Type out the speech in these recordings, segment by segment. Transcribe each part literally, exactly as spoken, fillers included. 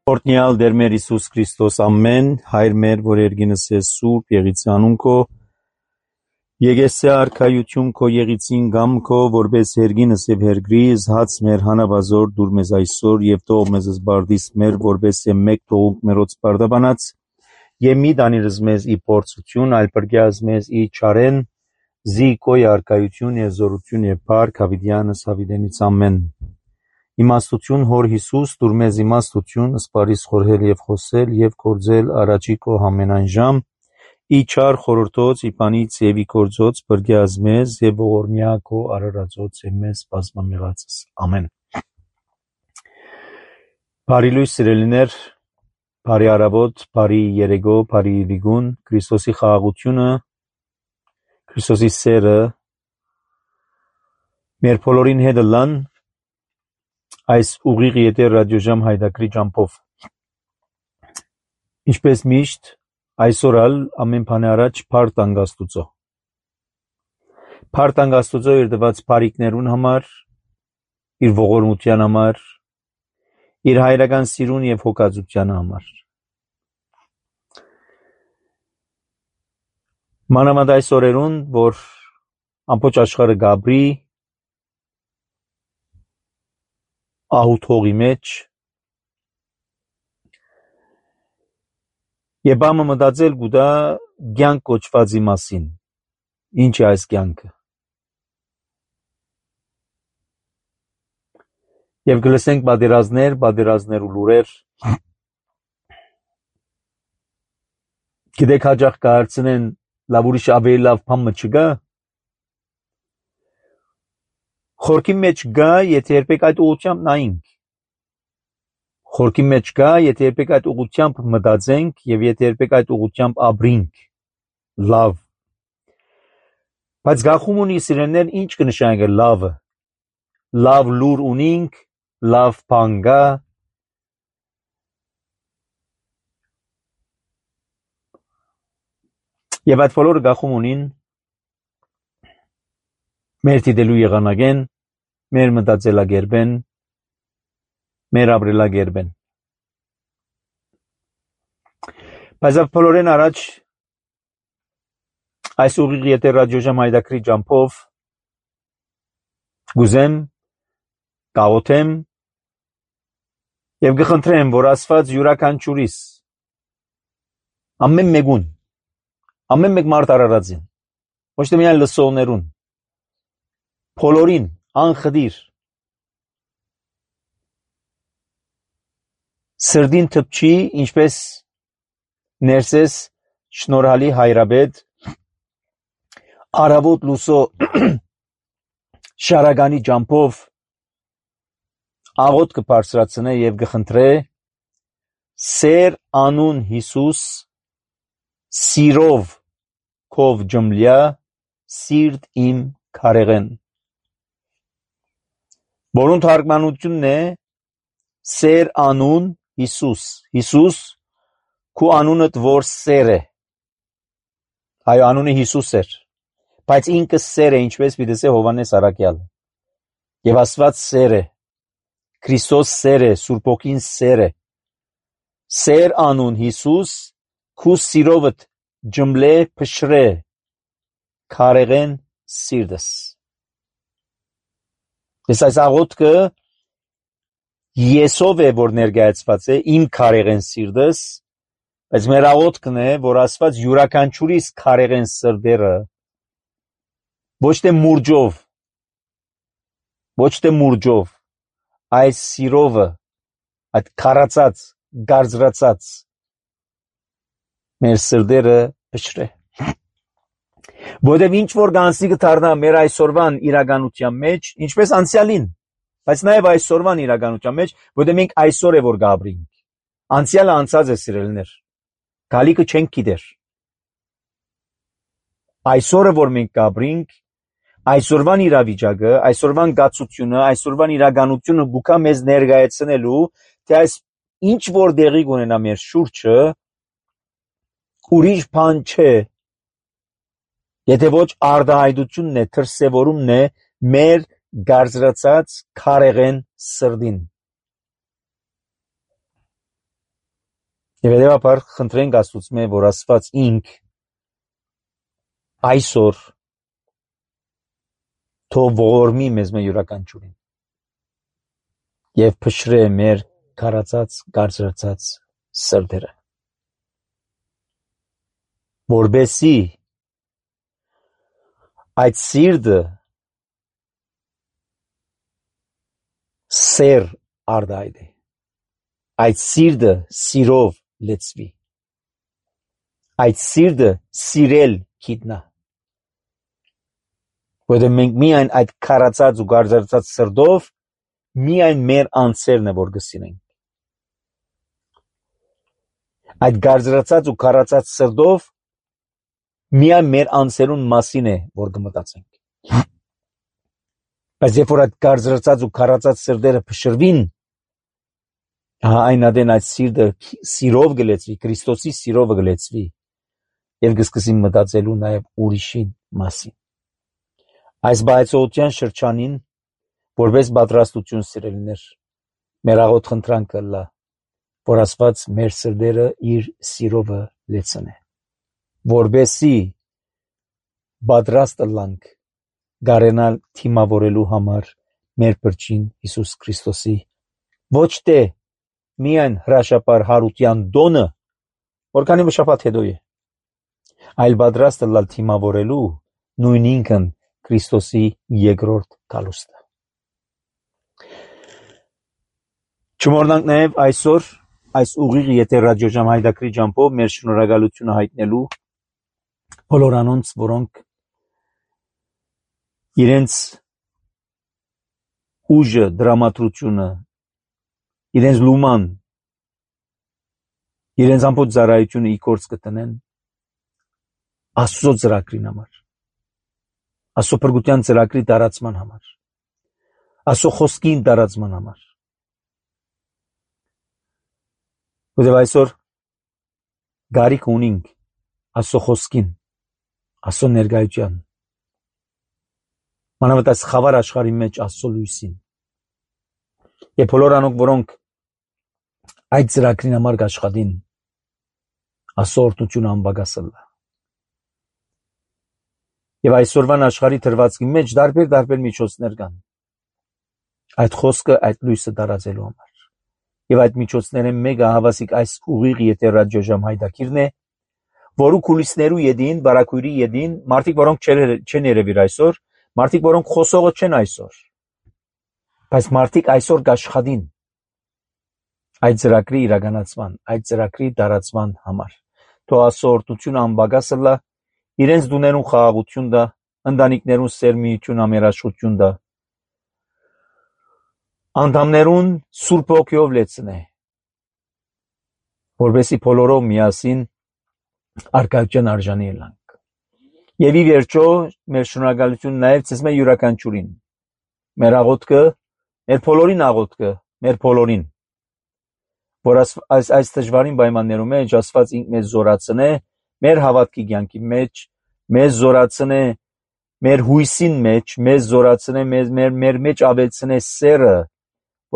Օրհնյալ Տեր մեր Հիսուս Քրիստոս ամեն, Հայր մեր, որ երգինս ես սուրբ, եղիցի անուն քո, եկեսե արքայություն քո եղիցին գամ քո, որպես երգինս եւ հերգրի, զհաց մեր հանավազոր դուր մեզ այսօր եւ թող մեզ զբարդիս մեր, որպես է մեկ թողունք մերոց բարդաբանած, եւ մի դանիրս մեզ ի փորձություն, այլ բրգյազ մեզ ի չարեն, զի քո արքայություն եւ զորություն եւ փառք հավիտյանս հավիտենից ամեն։ Իմաստություն հոր Հիսուս, դուր մեզ իմաստություն, սպարիս խորհել եւ խոսել եւ կործել առաջի քո ամենայն ժամ, ի չար խորհրդոց, ի բանից եւ ի կործոց բրգյազ մեզ եւ ողորմյա քո արարածոց եւ մեզ բազմամեղացս։ Ամեն։ Բարի լույս սիրելիներ, բարի առավոտ, բարի երեկո, բարի վիգուն, Քրիստոսի խաղաղությունը, Քրիստոսի սերը մեր բոլորին հետ լան այս ուղիղ եթեր ռադիոժամ հայդակրի ճամփով։ Ինչպես միշտ, այսօր ալ ամեն բանի առաջ փառք տանք Աստուծո։ Փառք տանք Աստուծո իր տված բարիքներուն համար, իր ողորմության համար, իր հայրական սիրուն եւ հոգածության համար։ Մանավանդ այս օրերուն, որ ամբողջ աշխարհը գաբրի ահութողի մեջ եւ ամը մտածել գուտա կյանք կոչվածի մասին։ Ինչ է այս կյանքը։ Եվ գլսենք բادرազներ, բادرազներ ու լուրեր։ Գիտեք հաջող կարծենեն լավ ուրիշ ավելի լավ բան չկա։ Խորքի մեջ գա, եթե երբեք այդ ուղղությամբ նայենք։ Խորքի մեջ գա, եթե երբեք այդ ուղղությամբ մտածենք եւ եթե երբեք այդ ուղղությամբ ապրենք։ Լավ։ Բայց գախում ունի սիրելիներ, ինչ կնշանակի լավը։ Լավ լուր ունենք, լավ բան գա։ Եվ այդ բոլորը գախում ունին մեր դիտելու եղանակեն, մեր մտածելակերպեն, մեր ապրելակերպեն։ Բայց այդ բոլորեն առաջ այս ուղիղ եթեր ռադիոժամ հայդակրի ճամփով գուզեմ, կաղոթեմ եւ կխնդրեմ, որ Աստված յուրաքանչյուրիս ամեն մեկուն, ամեն մեկ մարդ արարածին, ոչ թե միայն լսողներուն, բոլորին անխդիր սրդին թփչի, ինչպես ներսես շնորհալի հայրաբեդ արավոտ լուսո շարագանի ճամփով աղոտ կբարձրացնե եւ կխնդրե սեր անուն Հիսուս սիրով քով ջմլյա սիրտ իմ քարեղեն որոնց թարգմանությունն է սեր անուն Հիսուս Հիսուս քու անունդ որ սեր է այո անունը Հիսուս էր բայց ինքը սեր է ինչպես պիտի ասե Հովհաննես Առաքյալը եւ Աստված սեր է Քրիստոս սեր է Սուրբ Օգին սեր է սեր անուն Հիսուս քու սիրովդ ջմլե փշրե քարեղեն սիրտս Ես այս աղոթքը Եսով է որ ներկայացված է իմ քարեղեն սիրտս բայց մեր աղոթքն է որ Աստված յուրաքանչյուրիս քարեղեն սրտերը ոչ թե մուրջով ոչ թե մուրջով այս սիրովը այդ քարացած գարձրացած մեր սրտերը փշրե Որտեւ ինչ որ գանցի կդառնա մեր այսօրվան իրականության մեջ, ինչպես անցյալին, բայց նաեւ այսօրվան իրականության մեջ, որտեւ մենք այսօր է որ գաբրինք։ Անցյալը անցած է սիրելիներ։ Գալիքը չենք գիտեր։ Այսօրը որ մենք գաբրինք, այսօրվան իրավիճակը, այսօրվան գացությունը, այսօրվան իրականությունը գուքա մեզ ներկայացնելու, թե այս ինչ որ դեղի կունենա մեր շուրջը, ուրիշ բան չէ։ Եթե ոչ արդահայտությունն է, դրսևորումն է մեր գարձրացած քարեղեն սրդին։ Եվ հետևաբար խնդրենք Աստծուց, որ Աստված ինք այսօր թող ողորմի մեզ մեր յուրաքանչյուրին եւ փշրե մեր քարացած գարզրացած սրտերը, որբեսի այդ սիրտը սեր արդայդ է, այդ սիրտը սիրով լեցվի, այդ սիրտը սիրել գիտնա, որովհետև մենք միայն այդ քարացած ու գարզրացած սրտով միայն մեր անձերն է որ կսիրենք, այդ գարզրացած ու քարացած սրտով միայն մեր անձերուն մասին է որ կմտածենք, բայց երբ որ այդ գարզրացած ու քարացած սրտերը փշրվին, այն ադեն այդ սիրտը սիրով գլեցվի, Քրիստոսի սիրով գլեցվի եւ կսկսի մտածելու նաեւ ուրիշի մասին։ Այս բայցողության շրջանին որպես պատրաստություն սիրելիներ, մեր աղոտ խնդրանքը լա, որ Աստված մեր սրտերը իր սիրովը լեցնե, որբեսի պատրաստ լանք գարենալ թիմավորելու համար մեր բրճին Հիսուս Քրիստոսի ոչ թե միայն հրաշապար հարության դոնը, որքանի շաբաթ հետո է, այլ պատրաստ լալ թիմավորելու նույն ինքն Քրիստոսի երկրորդ գալուստը։ Չմոռանանք նաև այսօր այս ուղիղ եթե ռադիոժամ հայդակրի ջամփով մեր շնորհակալությունը հայտնելու բոլոր անոնց, որոնք իրենց ուժը, դրամատրությունը, իրենց լուման, իրենց ամբողջ ծառայությունը ի գործ կտնեն Աստծո ծրագրին համար, Աստծո փրկության ծրագրի տարածման համար, Աստծո խոսքին տարածման համար։ Որտեղ այսօր գարիք ունենք Աստծո խոսքին, Աստծո ներկայության, մանավանդ այս խավար աշխարհի մեջ Աստծո լույսին։ Եվ բոլոր անոնք, որոնք այդ ծրագրին համար կաշխատին, Աստծո օրհնությունը անբագասել է։ Եվ այսօրվան աշխարհի թրվածքի մեջ դարբեր դարբեր միջոցներ կան այդ խոսքը, այդ լույսը տարածելու համար։ Եվ այդ միջոցները մեկը հավասիկ այս ուղիղ եթե ռադիոժամ հայդակիրն է, որու կուլիսներու յետին, բարակույրի յետին, մարդիկ, որոնք չեն երևիր այսօր, մարդիկ, որոնք խոսողը չեն այսօր, բայց մարդիկ այսօր կաշխատին այդ ծրագրի իրականացման, այդ ծրագրի տարածման համար։ Թող Աստծո օրհնությունը անբագասը լա, իրենց դուներուն խաղաղություն դա, ընտանիքներուն սերմիություն, ամերաշխություն դա, անդամներուն Սուրբ Հոգիով լեցնե, որովհետեւ բոլորով միասին արկայության արժանի ելանք։ Եվ ի վերջո մեր շնորհակալությունը նաև ցես մեր յուրաքանչյուրին, մեր աղոթքը, մեր բոլորին աղոթքը, մեր բոլորին, որ այս այս դժվարին պայմաններում մեջ Աստված ինքն մեզ զորացնե, մեր հավատքի կյանքի մեջ, մեզ զորացնե, մեր հույսին մեջ, մեզ զորացնե, մեզ մեր մեր մեջ ավելցնե սերը,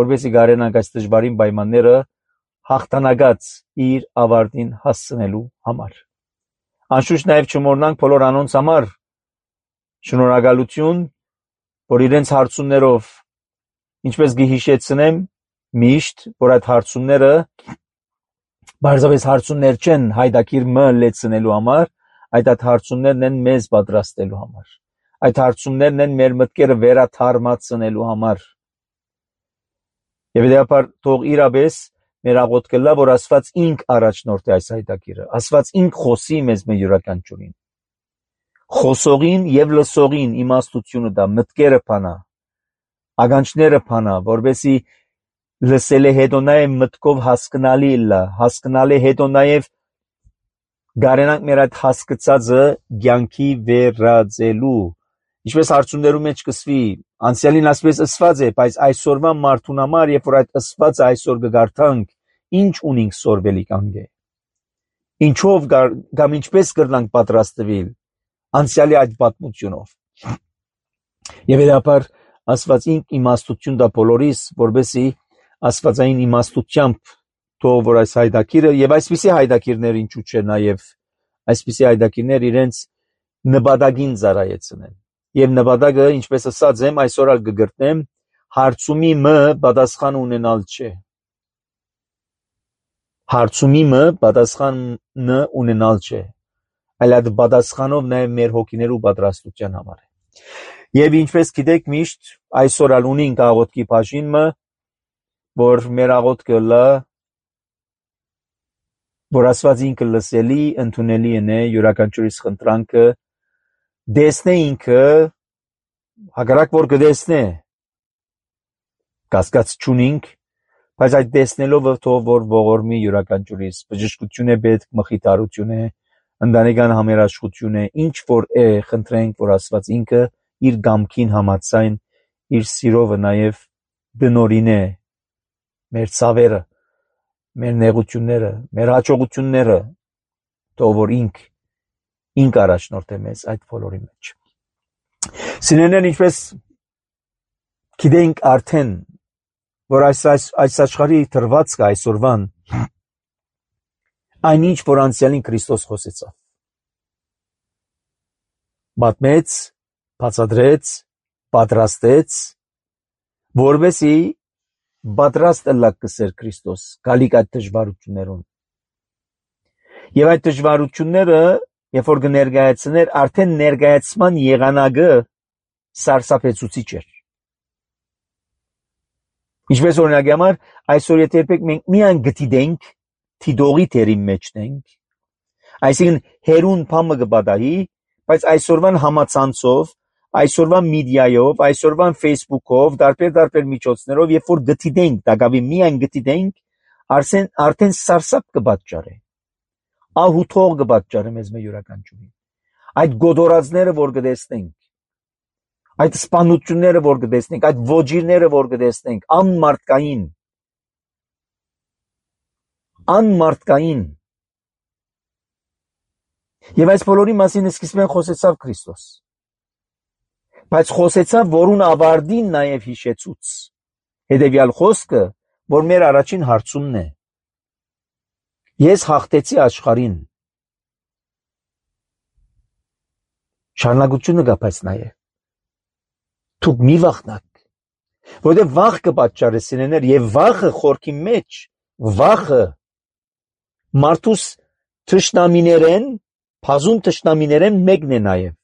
որովհետեւ գարենանք այս դժվարին պայմանները հաղթանակած իր ավարտին հասցնելու համար։ Անշուշտ նաև չմոռնանք բոլոր անոնց համար շնորհակալություն, որ իրենց հարցումներով, ինչպես գհիշեցնեմ, միշտ, որ այդ հարցումները բարձրապես հարցումներ չեն հայդակիր մը լեցնելու համար, այդ այդ հարցումներն են մեզ պատրաստելու համար, այդ հարցումներն են մեր մտքերը վերաթարմացնելու համար։ Եվ դեպար թող իրապես մեր աղոթքը լա, որ Աստված ինք առաջնորդի այս հայդակիրը, Աստված ինք խոսի մեզ մեր յուրաքանչյուրին, խոսողին եւ լսողին իմաստությունը դա, մտքերը փանա, ագանչները փանա, որովհետեւ լսելը հետո նաև մտքով հասկանալի լա, հասկանալի հետո նաև գարենանք մեր այդ հասկացածը կյանքի վերածելու, ինչպես հարցումներում մեջ կսվի, անցյալին ասպես ըսված է, բայց այսօրվա մարդուն համար, երբ որ այդ ըսվածը այսօր կգարթանք, ինչ ունենք սորվելի կանգե, ինչով կամ ինչպես կրնանք պատրաստվել անցյալի այդ պատմությունով։ Եվ հետապար Աստված ինք իմաստություն դա բոլորիս, որբեսի աստվածային իմաստությամբ թող որ այս հայդակիրը եւ այսպիսի հայդակիրներ ինչու՞ չէ նաեւ այսպիսի հայդակիրներ իրենց նպատակին ծառայեցնեն եւ նպատակը ինչպես ասած եմ այսօր ալ կգրտնեմ հարցումի մը պատասխան ունենալ չէ հարցումի մը պատասխանը ունենալ չէ այլ այդ պատասխանով նաեւ մեր հոգիներու պատրաստության համար է եւ ինչպես գիտեք միշտ այսօր ալ ունենք աղոթքի բաժինը որ մեր աղոթքը լա որ Աստված ինքը լսելի ընդունելի է յուրաքանչյուրիս խնդրանքը դեսնե ինքը հակառակ որ կդեսնե կասկած չունենք բայց այդ դեսնելով թող որ ողորմի յուրաքանչյուրիս բժշկություն է պետք մխիթարություն է ընտանեկան համերաշխություն է ինչ որ է խնդրենք որ Աստված ինքը իր գամքին համաձայն իր սիրովը նաև դնորին է մեր ցավերը մեր նեղությունները մեր հաջողությունները թող որ ինք ինք առաջնորդե մեզ այդ բոլորի մեջ սիրելիներ ինչպես գիտենք արդեն որ այս այս, այս աշխարհի դրվածքը այսօրվան այնինչ որ անցյալին Քրիստոս խոսեցավ պատմեց բացատրեց պատրաստեց որովհետեւ պատրաստ լակսեր Քրիստոս գալիք այդ դժվարություններուն եւ այդ դժվարությունները երբ որ կներկայացներ արդեն ներկայացման եղանակը սարսափեցուցիչ էր ինչպես օրինակի համար այսօր եթե երբեք մենք միայն գտիդենք թիդողի թերի մեջն ենք այսինքն հերուն փամը կբադայի բայց այսօրվան համացանցով այսօրվան մեդիայով այսօրվան Facebook-ով դարբեր դարբեր միջոցներով երբ որ գտիդենք դակավի միայն գտիդենք արդեն արդեն սարսափ կբաճարե ահութող կբաճարե մեզ մեր յուրաքանչյուրին այդ գոդորածները որ կտեսնենք այդ սպանությունները որ կտեսնենք այդ ոչիրները որ կտեսնենք անմարտկային անմարտկային եւ այս բոլորի մասին սկիզբեն խոսեցավ Քրիստոս բայց խոսեցավ որուն ավարտին նաև հիշեցուց հետեւյալ խոսքը որ մեր առաջին հարցումն է ես հաղթեցի աշխարհին շարունակությունը կա բայց նաև դուք մի վախնաք որովհետև վախ կպատճառի սիրելիներ եւ վախը խորքի մեջ վախը մարդուս թշնամիներեն բազում թշնամիներեն մեկն է նաև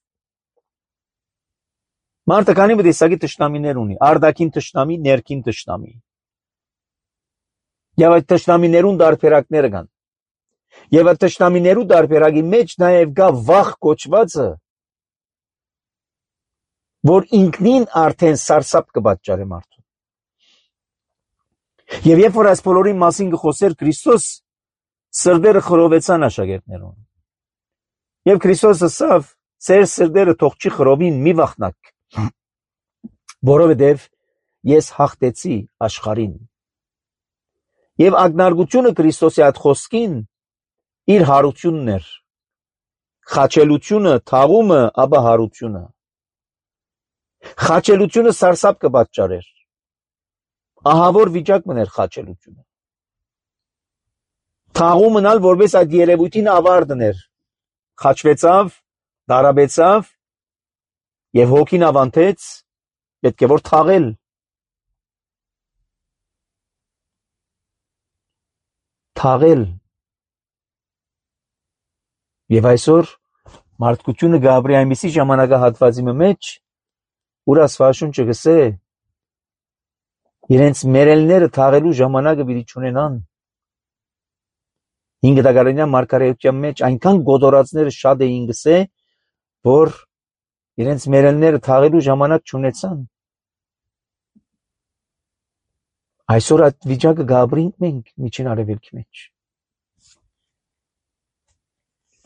Մարդը քանի տեսակի թշնամիներ ունի, արտաքին թշնամի, ներքին թշնամի։ Եվ այդ թշնամիներուն դարբերակները կան։ Եվ այդ թշնամիներու դարբերակի մեջ նաև կա վախ կոչվածը, որ ինքնին արդեն սարսափ կպատճառի մարդուն։ Եվ երբ որ այս բոլորի մասին կխոսեր Քրիստոս, սրտերը խռովեցան աշակերտներուն։ Եվ Քրիստոս ասավ, ձեր սրտերը թող չի խռովին, մի վախնաք։ Որովհետև ես հաղթեցի աշխարհին։ Եվ ակնարկությունը Քրիստոսի այդ խոսքին իր հարությունն էր։ Խաչելությունը, թաղումը, ապա հարությունը։ Խաչելությունը սարսափ կպատճառեր։ Ահավոր վիճակ մներ խաչելությունը։ Թաղումն ալ որպես այդ երևույթին ավարտն էր։ Խաչվեցավ, դարաբեցավ եւ հոգին ավանտեց, պետք է որ թաղել։ Թաղել։ Եվ այսօր մարդկությունը գաբրի այնպիսի ժամանակահատվածի մեջ, ուր Աստվածաշունչը գսե, իրենց մերելները թաղելու ժամանակը պիտի չունենան։ Ինքը դակարանյան մարգարեության մեջ այնքան գոդորածները շատ էին գսե, որ իրենց մերելները թաղելու ժամանակ չունեցան։ Այսօր այդ վիճակը գաբրինք մենք միջին արևելքի մեջ։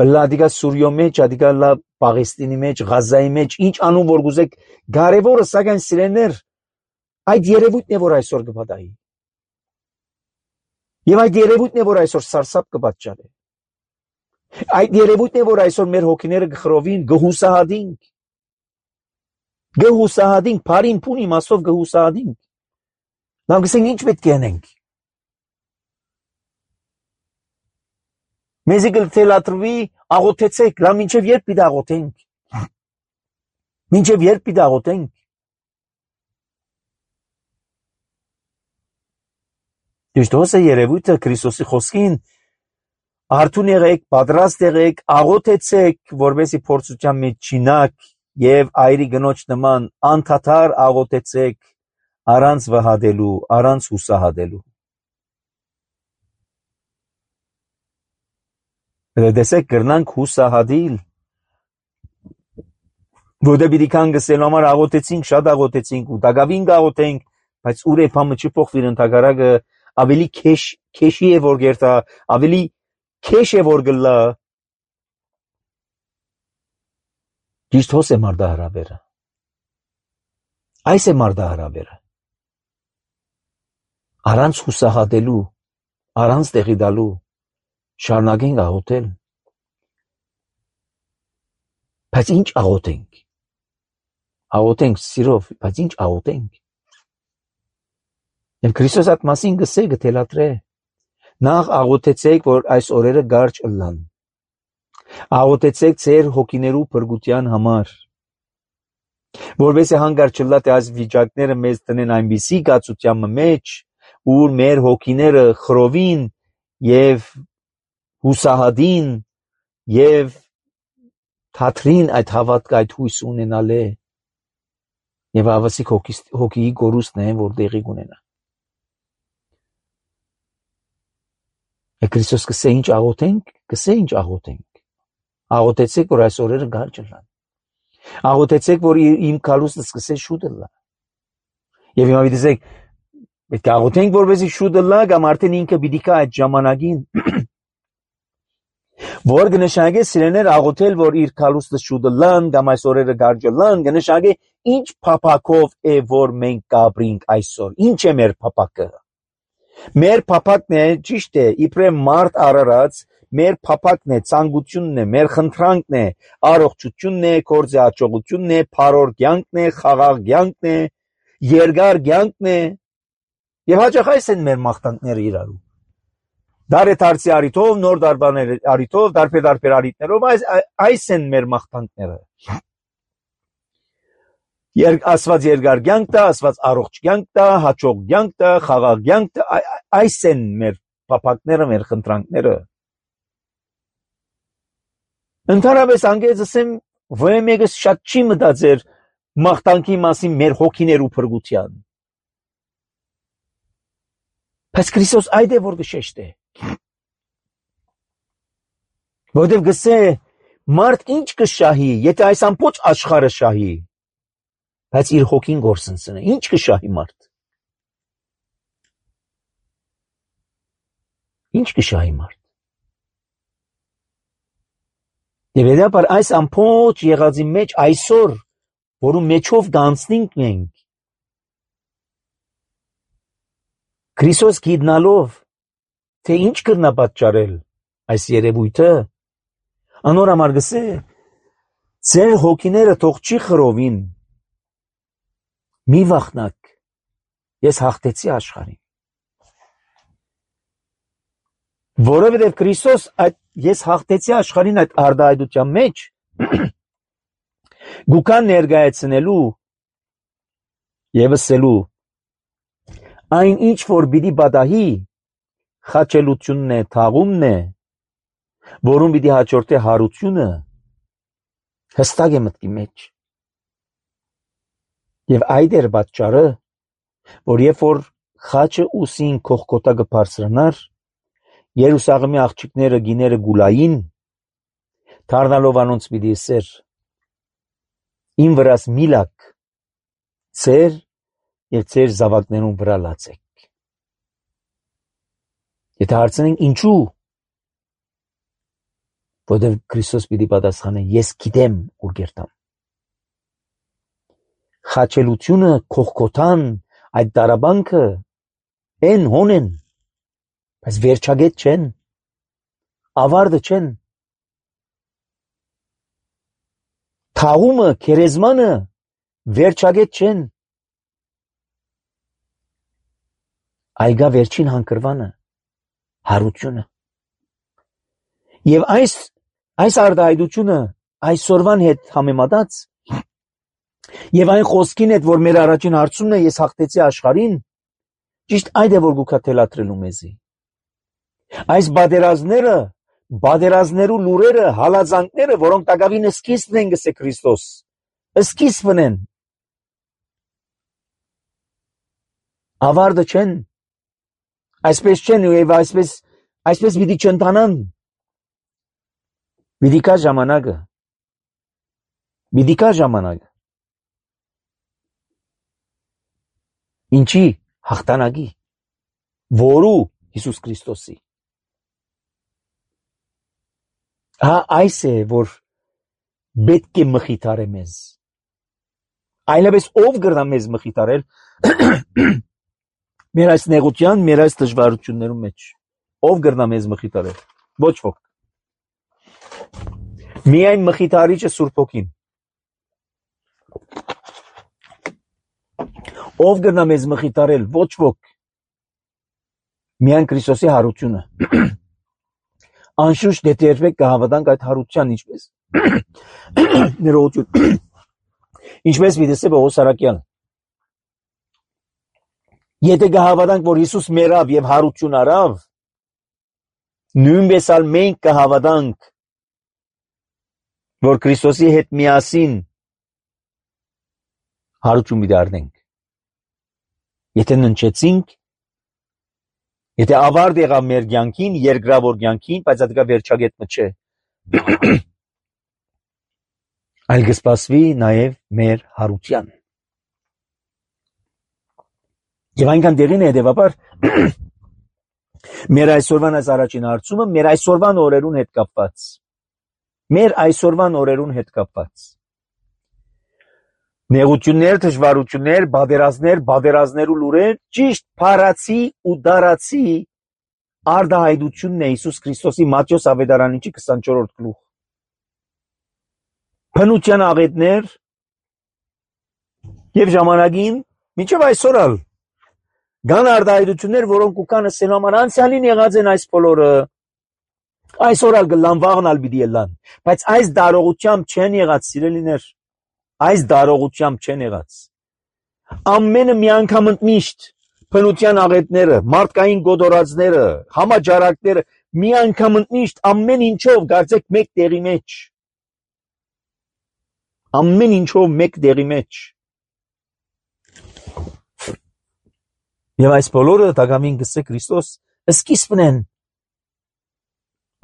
Բլադիկա Սուրիո մեջ, ադիկա լա Պաղեստինի մեջ, Ղազայի մեջ, ինչ անուն որ գուզեք, կարևորը սակայն սիրելիներ, այդ երևույթն է որ այսօր կպատահի։ Եվ այդ երևույթն է որ այսօր սարսափ կպատճառի։ Այդ երևույթն է որ այսօր մեր հոգիները կխռովին, կհուսահատինք։ Գհուսահատինք, բարին փուն իմաստով գհուսահատինք։ Լավ գսենք ինչ պետք է անենք։ Մեզի գլթելատրվի աղոթեցեք, լա մինչև երբ պիտի աղոթենք։ Մինչև երբ պիտի աղոթենք։ Դժտոս է երևույթը Քրիստոսի խոսքին, արթուն եղեք, պատրաստ եղեք, աղոթեցեք, որովհետեւ փորձության մեջ չինակ եւ այրի գնոջ նման անդադար աղոթեցեք, առանց վհադելու, առանց հուսահատելու։ Դեսեք կրնանք հուսահատիլ, որովհետեւ պիտի կան գսելու համար աղոթեցինք, շատ աղոթեցինք ու դակավին աղոթենք, բայց ուր է փամը չփոխվիր ընդհակարակը ավելի քեշ քեշի է որ գերտա, ավելի քեշ է որ գլա։ Ճիշտ հոս է մարդահրավերը։ Այս է մարդահրավերը։ Առանց հուսահատելու, առանց տեղի դալու, շարունակենք աղոթել։ Բայց ինչ աղոթենք։ Աղոթենք սիրով, բայց ինչ աղոթենք։ Եվ Քրիստոս այդ մասին գսե գտելատրե։ Նախ աղոթեցեք, որ այս օրերը գարջ ըլլան։ Աղոթեցեք ձեր հոգիներու փրկության համար։ Որովհետեւ հանգար չլա թե այս վիճակները մեզ տնեն այնպիսի գացության մեջ, ուր մեր հոգիները խրովին եւ հուսահատին եւ թատրին այդ հավատքը, այդ հույս ունենալը եւ ավասիկ հոգիի գորուստն է, որ դեղի կունենա։ Քրիստոս կսե ինչ աղոթենք, կսե ինչ աղոթենք։ Աղոթեցեք, որ այս օրերը գարջ ըլլան։ Աղոթեցեք, որ իմ կալուստը սկսե շուտ ըլլա։ Եվ հիմա դիտեք, պետք է աղոթենք, որպեսզի շուտ ըլլա, կամ արդեն ինքը պիտի կա այդ ժամանակին։ Որ կնշանակե սիրեներ աղոթել, որ իր կալուստը շուտ ըլլան, կամ այս օրերը գարջ ըլլան, կնշանակե ինչ փափակով է, որ մենք կապրինք այսօր։ Ինչ է մեր փափակը։ Մեր փափակն է, ճիշտ է, իբրև մարդ արարած, մեր փափակն է, ցանկությունն է, մեր խնդրանքն է, առողջությունն է, գործի հաջողությունն է, փառոր կյանքն է, խաղաղ կյանքն է, երկար կյանքն է։ Եվ հաճախ այս են մեր մաղթանքները իրարու։ Դարեթարցի արիթով, նոր դարբաներ արիթով, դարբեր-դարբեր արիթներով, այս, այս են մեր մաղթանքները։ Ասված երկար կյանք տա, ասված առողջ կյանք տա, հաջող կյանք տա, խաղաղ կյանք տա, այս են մեր փափակները, մեր խնդրանքները։ Ընդհանրապես անգեզ ասեմ, ոչ մեկը շատ չի մտածեր մաղթանքի մասին մեր հոգիներու փրկության։ Բայց Քրիստոս այդ է որ գշեշտ է։ Որտեւ գսե մարդ ինչ կշահի, եթե այս ամբողջ աշխարհը շահի, բայց իր հոգին գործընծնե, ինչ կշահի մարդ։ Ինչ կշահի մարդ։ Եվ հետապար այս ամբողջ եղածի մեջ այսօր, որում մեջով գանցնենք մենք, Քրիստոս գիտնալով, թե ինչ կրնա պատճառել այս երևույթը, անոր համար գսե, ձեր հոգիները թող չի խրովին, մի վախնակ, ես հաղթեցի աշխարհին։ Որովհետև Քրիստոս այդ ես հաղթեցի աշխարհին այդ արդայդության մեջ գուքան ներկայացնելու եւ ասելու այն ինչ որ պիտի պատահի խաչելությունն է, թաղումն է, որում պիտի հաջորդե հարությունը, հստակ է մտքի մեջ։ Եվ այդ էր պատճառը, որ երբ որ խաչը ուսին կողքոտակը բարձրանար, Երուսաղեմի աղջիկները գիները գուլային, դառնալով անոնց պիտի ասեր, իմ վրաս միլակ, ձեր եւ ձեր զավակներուն վրա լացեք։ Եթե հարցնենք ինչու, որովհետև Քրիստոս պիտի պատասխանե, ես գիտեմ ուր գերտամ։ Խաչելությունը, կողքոտան, այդ տարաբանքը են հոն են, բայց վերջագետ չեն, ավարտը չեն։ Թաղումը, քերեզմանը վերջագետ չեն։ Այգա վերջին հանգրվանը, հարությունը։ Եվ այս, այս արտահայտությունը այսօրվան հետ համեմատած եւ այն խոսքին հետ, որ մեր առաջին հարցումն է ես հաղթեցի աշխարհին, ճիշտ այդ է, որ գուքա թելադրելու մեզի։ Այս բادرազները, բادرազներու լուրերը, հալածանքները, որոնք տակավին սկիզբն են գսե Քրիստոս, սկիզբն են, ավարտը չեն, այսպես չեն եւ այսպես, այսպես պիտի չընթանան, պիտի կա ժամանակը, պիտի կա ժամանակը, ինչի հաղթանակի, որու Հիսուս Քրիստոսի։ Հա այս է, որ պետք է մխիթարե մեզ։ Այլևս ով գրնա մեզ մխիթարել մեր այս նեղության, մեր այս դժվարություններում մեջ։ Ով գրնա մեզ մխիթարել։ Ոչ ոք։ Միայն մխիթարիչը Սուրբ Հոգին։ Ով գրնա մեզ մխիթարել։ Ոչ ոք։ Միայն Քրիստոսի հարությունը։ Անշուշտ դե երբեք կհավատանք այդ հարության ինչպես ներողություն ինչպես վիդեսը Պողոս Արաքյան եթե կհավատանք որ Հիսուս մեռավ եւ հարություն արավ նույնպես ալ մենք կհավատանք որ Քրիստոսի հետ միասին հարություն դառնանք եթե ննչեցինք Եթե ավարտ եղավ մեր կյանքին, երկրավոր կյանքին, բայց դա վերջագետը չէ։ Այլ կսպասվի նաև մեր հարության։ Եվ այնքան դեղին է հետևաբար մեր այսօրվան այս առաջին հարցումը մեր այսօրվան օրերուն հետ կապված։ Մեր այսօրվան օրերուն հետ կապված։ Նեղություններ, դժվարություններ, բادرազներ, բادرազներու լուրեր, ճիշտ փարացի ու դարացի արտահայտությունն է Հիսուս Քրիստոսի Մատթեոս ավետարանիչի քսանչորրորդ գլուխ։ Փնության աղետներ եւ ժամանակին մինչեւ այսօր ալ կան արտահայտություններ, որոնք կան ասելու համար անցյալին եղած են այս բոլորը։ Այսօր ալ գլան վաղն ալ պիտի ելան, բայց այս դարողությամբ չեն եղած սիրելիներ։ Այս դարողությամբ չեն եղած։ Ամենը մի անգամ ընդմիշտ փնության աղետները, մարդկային գոդորածները, համաճարակները մի անգամ ընդմիշտ ամեն ինչով կարծեք մեկ տեղի մեջ։ Ամեն ինչով մեկ տեղի մեջ։ Եվ այս բոլորը դակամին գսե Քրիստոս սկիզբն են։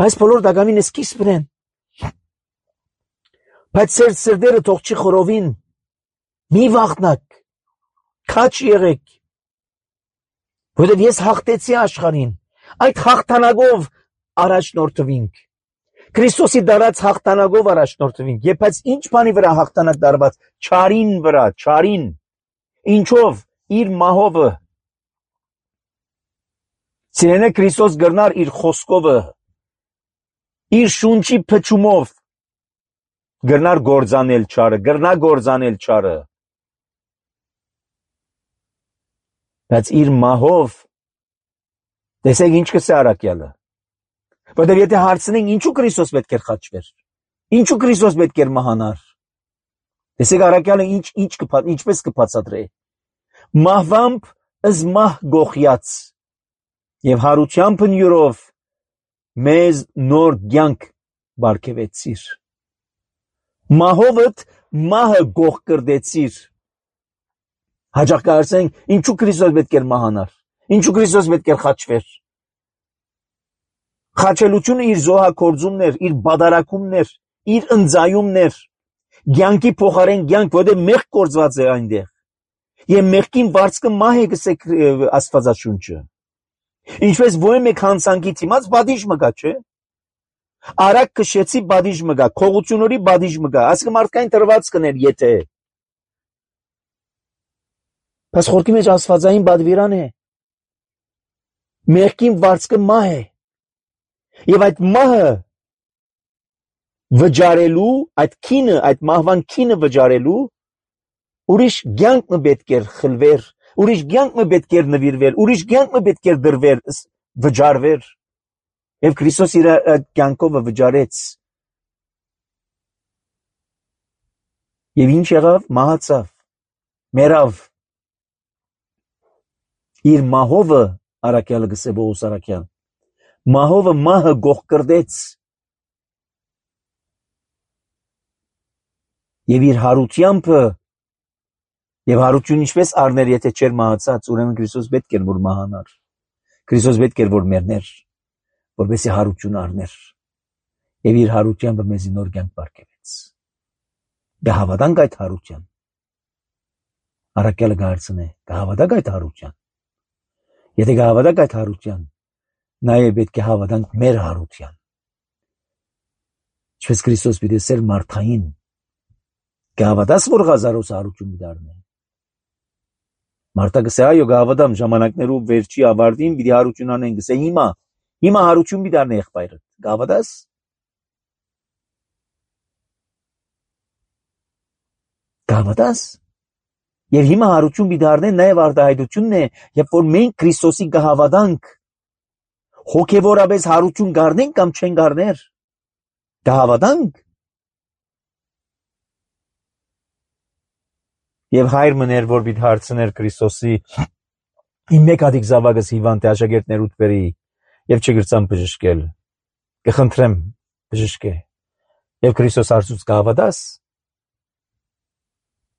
Այս բոլորը դակամին սկիզբն են։ Բայց ծեր սրդերը թող չի խորովին, մի վախնակ, քաչ եղեք, որովհետև ես հաղթեցի աշխարհին, այդ հաղթանակով առաջնորդվինք, Քրիստոսի դարած հաղթանակով առաջնորդվինք, եւ բայց ինչ բանի վրա հաղթանակ դարված, չարին վրա, չարին, ինչով, իր մահովը, սիրենե Քրիստոս գրնար իր խոսքովը, իր շունչի փչումով, գրնար գործանել չարը, գրնա գործանել չարը, բայց իր մահով, տեսեք ինչ կսե Արաքյալը, որտեղ եթե հարցնենք ինչու Քրիստոս պետք էր խաչվեր, ինչու Քրիստոս պետք էր մահանար, տեսեք Արաքյալը ինչ, ինչ կպատ, ինչպես կբացատրե, մահվամբ ըզ մահ գողյաց, եւ հարությամբ նյուրով մեզ նոր կյանք բարգեւեցիր, մահովդ մահը գող կրդեցիր, հաջող կարծենք ինչու Քրիստոս պետք էր մահանար, ինչու Քրիստոս պետք էր խաչվեր, խաչելությունը իր զոհակորձումներ, իր բադարակումներ, իր ընձայումներ, կյանքի փոխարեն կյանք, որտեղ մեղք կործված է այնտեղ, եւ մեղքին վարձկը մահ է գսե Աստվածաշունչը, ինչպես ո՞ր մեկ հանցանքի դիմաց բադիժ մգա, չէ, արագ քշեցի բադիժ մգա, քողությունների բադիժ մգա, ասկը մարդկային տրված կներ եթե, բայց խորքի մեջ աստվածային բադվիրան է, մեղքին վարձկը մահ է, եւ այդ մահը վճարելու, այդ քինը, այդ մահվան քինը վճարելու, ուրիշ կյանքը պետք էր խլվեր, ուրիշ կյանքը պետք էր նվիրվեր, ուրիշ կյանքը պետք էր դրվեր, վճարվեր, Եվ Քրիստոս իր կյանքով վճարեց։ Եվ ինչ եղավ, մահացավ, մեռավ։ Իր մահովը առաքյալը գսե Պողոս առաքյալ, մահովը մահը գողկրդեց։ Եվ իր հարությամբ եւ հարություն ինչպես առներ, եթե չէր մահացած, ուրեմն Քրիստոս պետք էր որ մահանար։ Քրիստոս պետք էր որ մեռներ, որպեսզի հարություն առներ։ Եվ իր հարությամբ մեզի նոր կյանք բարգեւեց։ Գահավատանք այդ հարության։ Առաքյալը գարցնե, գահավատակ այդ հարության։ Եթե գահավատակ այդ հարության, նաեւ պետք է հավատանք մեր հարության։ Ինչպես Քրիստոս պիտի սեր մարդային, գահավատաս որ հազարոս հարություն դառնա։ Մարդը գսե այո գահավատամ ժամանակներով վերջի ավարտին պիտի հարություն անեն, գսե հիմա, հիմա հարություն պիտի դառնա եղբայրը։ Գահավատաս։ Գահավատաս։ Եվ հիմա հարություն պիտի դառնեն նաև արտահայտությունն է, երբ որ մենք Քրիստոսի գահավատանք հոգևորապես հարություն գառնենք կամ չեն գառներ։ Գահավատանք։ Եվ հայր մներ, որ պիտի հարցներ Քրիստոսի իմ մեկ հատիկ զավակս հիվանդ է աշակերտներուդ բերի եւ չգրցամ բժշկել։ Կխնդրեմ բժշկե։ Եվ Քրիստոս հարցուց գահավատաս։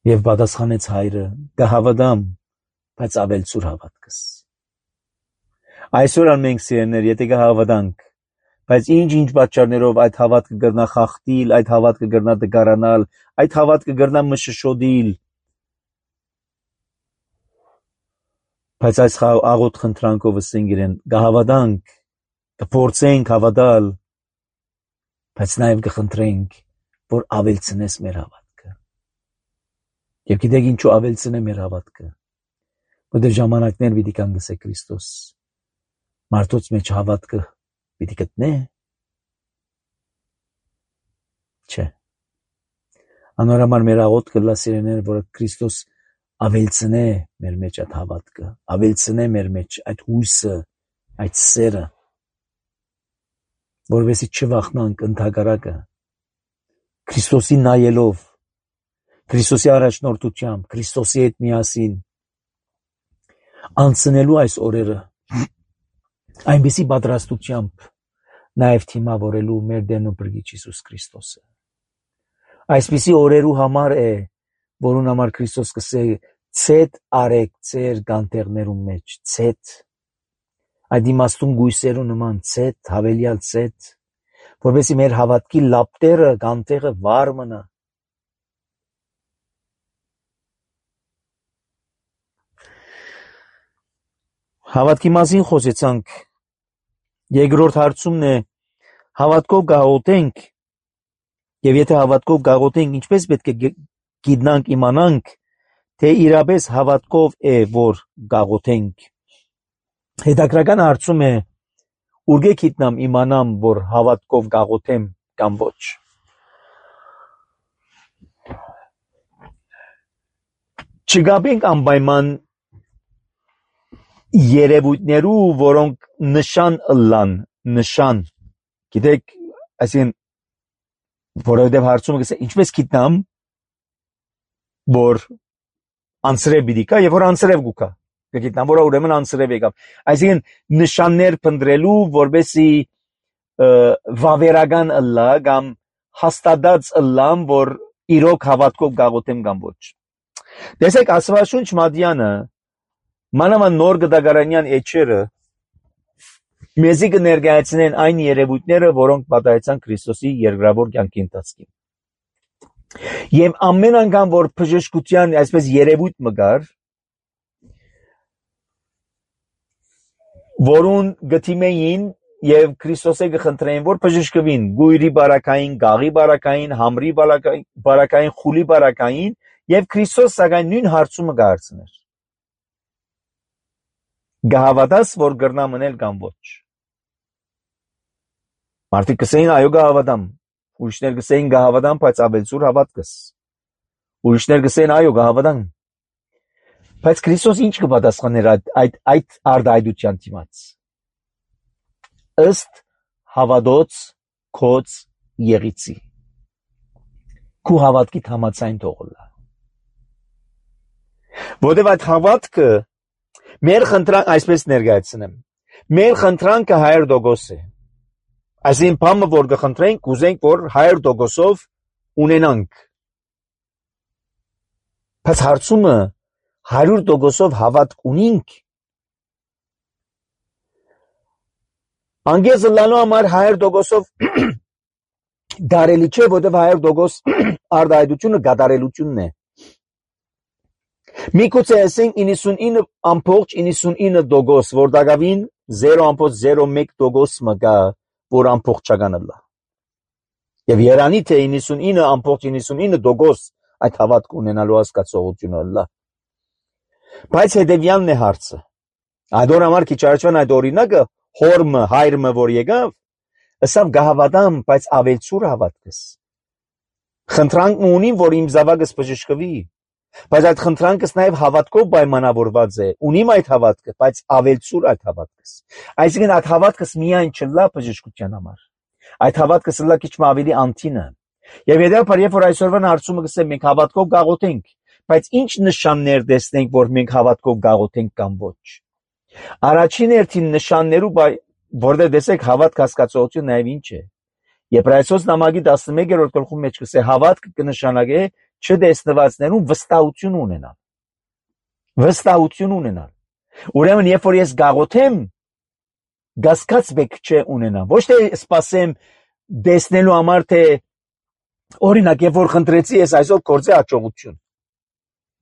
Եվ պատասխանեց հայրը, գահավատամ, բայց ավել ցուր հավատքս։ Այսօր մենք սիրելիներ, եթե գահավատանք, բայց ինչ-ինչ պատճառներով այդ հավատքը կգրնա խախտիլ, այդ հավատքը կգրնա դգարանալ, այդ հավատքը կգրնա մշշոդիլ։ Բայց այս աղոտ խնդրանքով ասենք իրեն, գահավատանք, կփորձենք հավատալ, բայց նաև կխնդրենք, որ ավելցնես մեր հավատքը։ Եվ գիտեք ինչու ավելցնե մեր հավատքը, որտեղ ժամանակներ պիտի կան գսե Քրիստոս, մարդոց մեջ հավատքը պիտի գտնե, չէ։ Անորոմար մեր աղոտ կլա սիրեներ, որ Քրիստոս ավելցնե մեր մեջ այդ հավատքը, ավելցնե մեր մեջ այդ հույսը, այդ սերը, որովհետեւ չվախնանք ընդհակառակը Քրիստոսի նայելով, Քրիստոսի առաջնորդությամբ, Քրիստոսի հետ միասին անցնելու այս օրերը, այնպիսի պատրաստությամբ նաև թիմավորելու մեր Տերն ու Փրկիչ Հիսուս Քրիստոսը։ Այսպիսի օրերու համար է, որուն համար Քրիստոս կսե ցետ արեք ձեր գանտերներում մեջ, ցետ, այդ իմաստուն գույսերու նման ցետ, հավելյալ ցետ, որովհետեւ մեր հավատքի լապտերը, գանտեղը վար մնա։ Հավատքի մասին խոսեցանք, երկրորդ հարցումն է, հավատքով գաղութենք, եւ եթե հավատքով գաղութենք, ինչպես պետք է գիտնանք, իմանանք, թե իրապես հավատքով է, որ գաղութենք։ Հետաքրական հարցում է, ուրգե գիտնամ իմանամ, որ հավատքով գաղութեմ կամ ոչ։ Չգաբենք անպայման երևույթներու, որոնք նշան ըլլան, նշան, գիտեք, այսին, որովհետև հարցումը կսե, ինչպես գիտնամ, որ անցրև պիտի կա, եւ որ անցրև գուկա, կգիտնամ, որ ուրեմն անցրև եկավ, այսին նշաններ փնտրելու, որպեսզի վավերական ըլլա, կամ հաստատած ըլլան, որ իրոք հավատքով գաղութեմ կամ ոչ։ Տեսեք, Աստվածաշունչ Մատյանը, մանավանդ նոր գդագարանյան էջերը մեզի կներկայացնեն այն երևույթները, որոնք պատահեցան Քրիստոսի երկրավոր կյանքի ընթացքին։ Եվ ամեն անգամ, որ բժշկության այսպես երևույթ մգար, որուն գտիմեին եւ Քրիստոսը կխնդրեին, որ բժշկվին, գույրի բարակային, գաղի բարակային, համրի բարակային, խուլի բարակային, եւ Քրիստոս սակայն նույն հարցումը կհարցներ։ Գահավատաս, որ գրնա մնել կամ ոչ։ Մարդիկ կսեին, այո գահավատամ, ուրիշներ կսեին գահավատամ, բայց ավելցուր հավատքս։ Ուրիշներ կսեին, այո գահավատամ։ Բայց Քրիստոս ինչ կպատասխաներ այդ այդ այդ արտահայտության դիմաց։ Ըստ հավատոց քոց եղիցի քու հավատքի համացայն թողոլա որտեւ այդ հավատքը մեր խնդրանք այսպես ներկայացնեմ մեր խնդրանքը հայր դոգոս է այսին բամը որ գխնդրենք կուզենք որ հայր դոգոսով ունենանք բայց հարցումը հարյուր դոգոսով հավատք ունինք անգեզը լալու համար հայր դոգոսով դարելի չէ որտեվ հայր դոգոս արդայդությունը գադարելությունն է Միգուցե ասենք իննսունինը ամբողջ իննսունինը դոգոս, որ դակավին զերո ամբողջ զերո մեկ դոգոս մգա, որ ամբողջական լա։ Եվ երանի թե իննսունինը ամբողջ իննսունինը դոգոս այդ հավատք ունենալու հասկացողությունը լա։ Բայց հետևյալն է հարցը։ Այդ օր համար քիչ առաջվան այդ օրինակը հորմը, հայրմը, որ եկավ, ասավ գահավատամ, բայց ավելցուր հավատքս։ Խնդրանք ունին, որ իմ զավակս բժշկվի։ Բայց այդ խնդրանքս նաև հավատքով պայմանավորված է, ունիմ այդ հավատքը, բայց ավելցուր այդ հավատքս։ Այսինքն այդ հավատքս միայն չլա բժշկության համար։ Այդ հավատքս լա քիչ ավելի անտինը։ Եվ հետևաբար երբ որ այսօրվան հարցումը գսեմ մենք հավատքով գաղութենք, բայց ինչ նշաններ տեսնենք, որ մենք հավատքով գաղութենք կամ ոչ։ Առաջին հերթին նշաններու որտեղ տեսեք հավատք հասկացողությունը նաև ինչ է։ Եբրայեցոս նամակի տասնմեկերորդ գլխում մեջ կսե հավատքը կնշանակե չտեսնվածներուն վստահություն ունենալ։ Վստահություն ունենալ։ Ուրեմն երբ որ ես գաղութեմ, գասկած բեք չէ ունենամ։ Ոչ թե սպասեմ դեսնելու համար թե օրինակ երբ որ խնդրեցի ես այսօր գործի հաջողություն։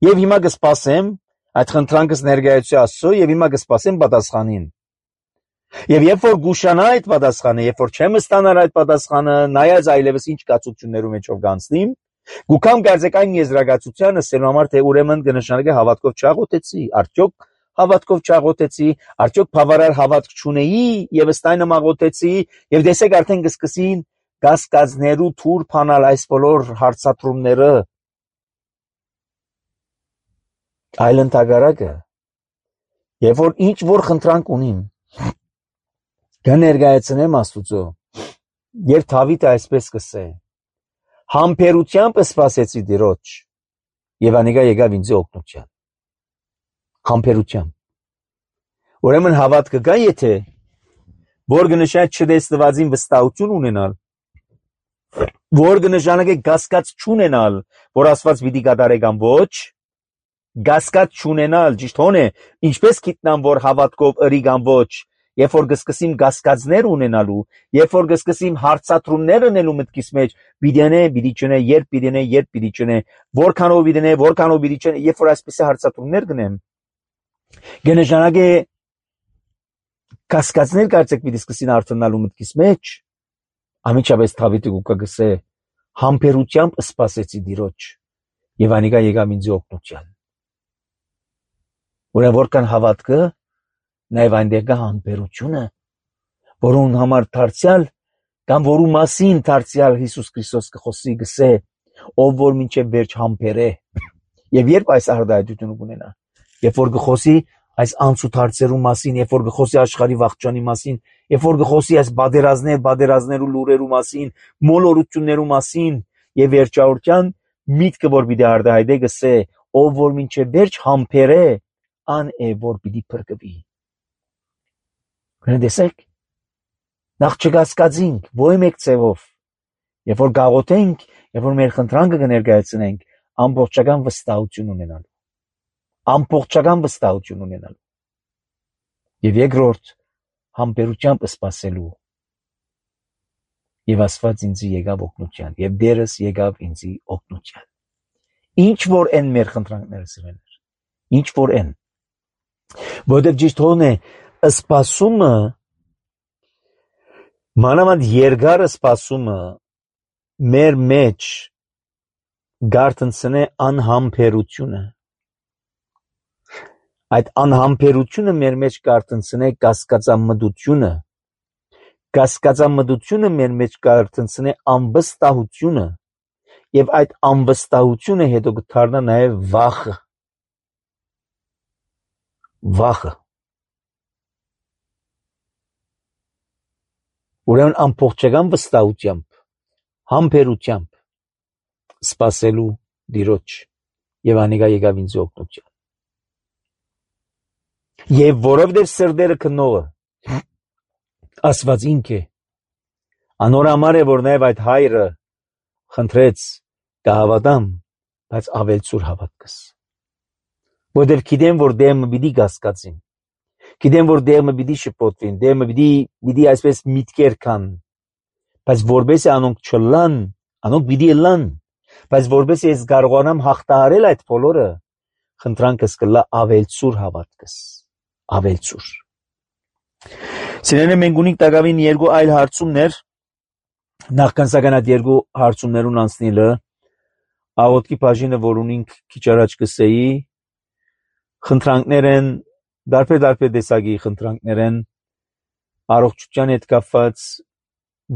Եվ հիմա կսպասեմ այդ խնդրանքս ներկայացի Աստծո եւ հիմա կսպասեմ պատասխանին։ Եվ երբ որ գուշանա այդ պատասխանը, երբ որ չեմ ստանալ այդ պատասխանը, նայած այլևս ինչ կացություններում մեջով գանցնիմ, գուքամ գարձեք այն եզրակացությանը ասելու համար թե ուրեմն կնշանակե հավատքով չաղոթեցի, արդյոք հավատքով չաղոթեցի, արդյոք բավարար հավատք չունեի եւ ըստայնը մաղոթեցի եւ տեսեք արդեն կսկսին գասկածներու թուր փանալ այս բոլոր հարցատրումները այլն տագարակը երբ որ ինչ որ խնդրանք ունիմ կներկայացնեմ Աստուծո երբ Դավիթը այսպես կսե համբերությամբ սպասեցի Տիրոջ եւ անիկա եկավ ինձ օգնության համբերությամբ ուրեմն հավատքը կա եթե որ կնշանակե չտեսնվածին վստահություն ունենալ որ կնշանակե գասկած չունենալ որ Աստված պիտի կատարե կամ ոչ գասկած չունենալ ճիշտ հոն է ինչպես գիտնամ որ հավատքով ըրի կամ ոչ երբ որ կսկսիմ գասկածներ ունենալու երբ որ կսկսիմ հարցատրումներ ունենալու մտքիս մեջ պիտի պիտի չնե երբ պիտի երբ պիտի չնե որքանով պիտի որքանով պիտի չնե երբ որ այսպես հարցատրումներ գնեմ կնշանակե կասկածներ կարծեք պիտի սկսին արթնանալու մտքիս մեջ ամիջապես Դավիթը կգսե համբերությամբ սպասեցի Տիրոջ եւ անիկա եկավ ինձ օգնության ուրեմն որքան հավատքը նաև այնտեղ կա համբերությունը որուն համար դարձյալ կամ որու մասին դարձյալ Հիսուս Քրիստոս կխոսի գսե ով որ մինչև վերջ համբերե եւ երբ այս արդայությունը կունենա երբ որ կխոսի այս անցուտ հարցերու մասին երբ որ կխոսի աշխարհի վաղճանի մասին երբ որ կխոսի այս բادرազներ բادرազներու լուրերու մասին մոլորություններու մասին եւ վերջավորության միտքը որ պիտի արդայդե գսե ով որ մինչև վերջ համբերե ան է որ պիտի փրկվի Գնացեք նախ չգասկածինք ոյ մեկ ծևով երբ որ գաղութենք երբ որ մեր խնդրանքը կներկայացնենք ամբողջական վստահություն ունենալու ամբողջական վստահություն ունենալու եւ երկրորդ համբերությամբ սպասելու եւ Աստված ինձ եկավ օգնության եւ դերս եկավ ինձ օգնության ինչ որ են մեր խնդրանքները սրաներ ինչ որ են որտեղ ճիշտ հոն է սպասումը մանավանդ երկար սպասումը մեր մեջ գարտնցնե անհամբերությունը այդ անհամբերությունը մեր մեջ գարտնցնե կասկածամտությունը կասկածամտությունը մեր մեջ գարտնցնե անվստահությունը եւ այդ անվստահությունը հետո կդառնա նաեւ վախը վախը ուրեմն ամբողջական վստահությամբ, համբերությամբ սպասելու Տիրոջ եւ անիկա եկավ ինձ օգնության։ Եվ որովհետև սրտերը քնողը Աստված ինքը անոր համար է, որ նաև այդ հայրը խնդրեց կհավատամ, բայց ավելցուր հավատքս։ Որովհետև գիտեմ, որ դեմը պիտի կասկածին, գիտեմ, որ դեմը պիտի շփոթվին, դեմը պիտի պիտի այսպես միտքեր կան, բայց որբեսի անոնք չլան, անոնք պիտի լան, բայց որբեսի ես կարողանամ հաղթահարել այդ բոլորը, խնդրանքս կլա ավելցուր հավատքս, ավելցուր։ Սիրելիներ, մենք ունենք տակավին երկու այլ հարցումներ, նախքան սակայն այդ երկու հարցումներուն անցնելը, աղոթքի բաժինը, որ ունենք քիչ առաջ կսեի, խնդրանքներ են, դարբեր-դարբեր տեսակի խնդրանքներ են, առողջության հետ կապված,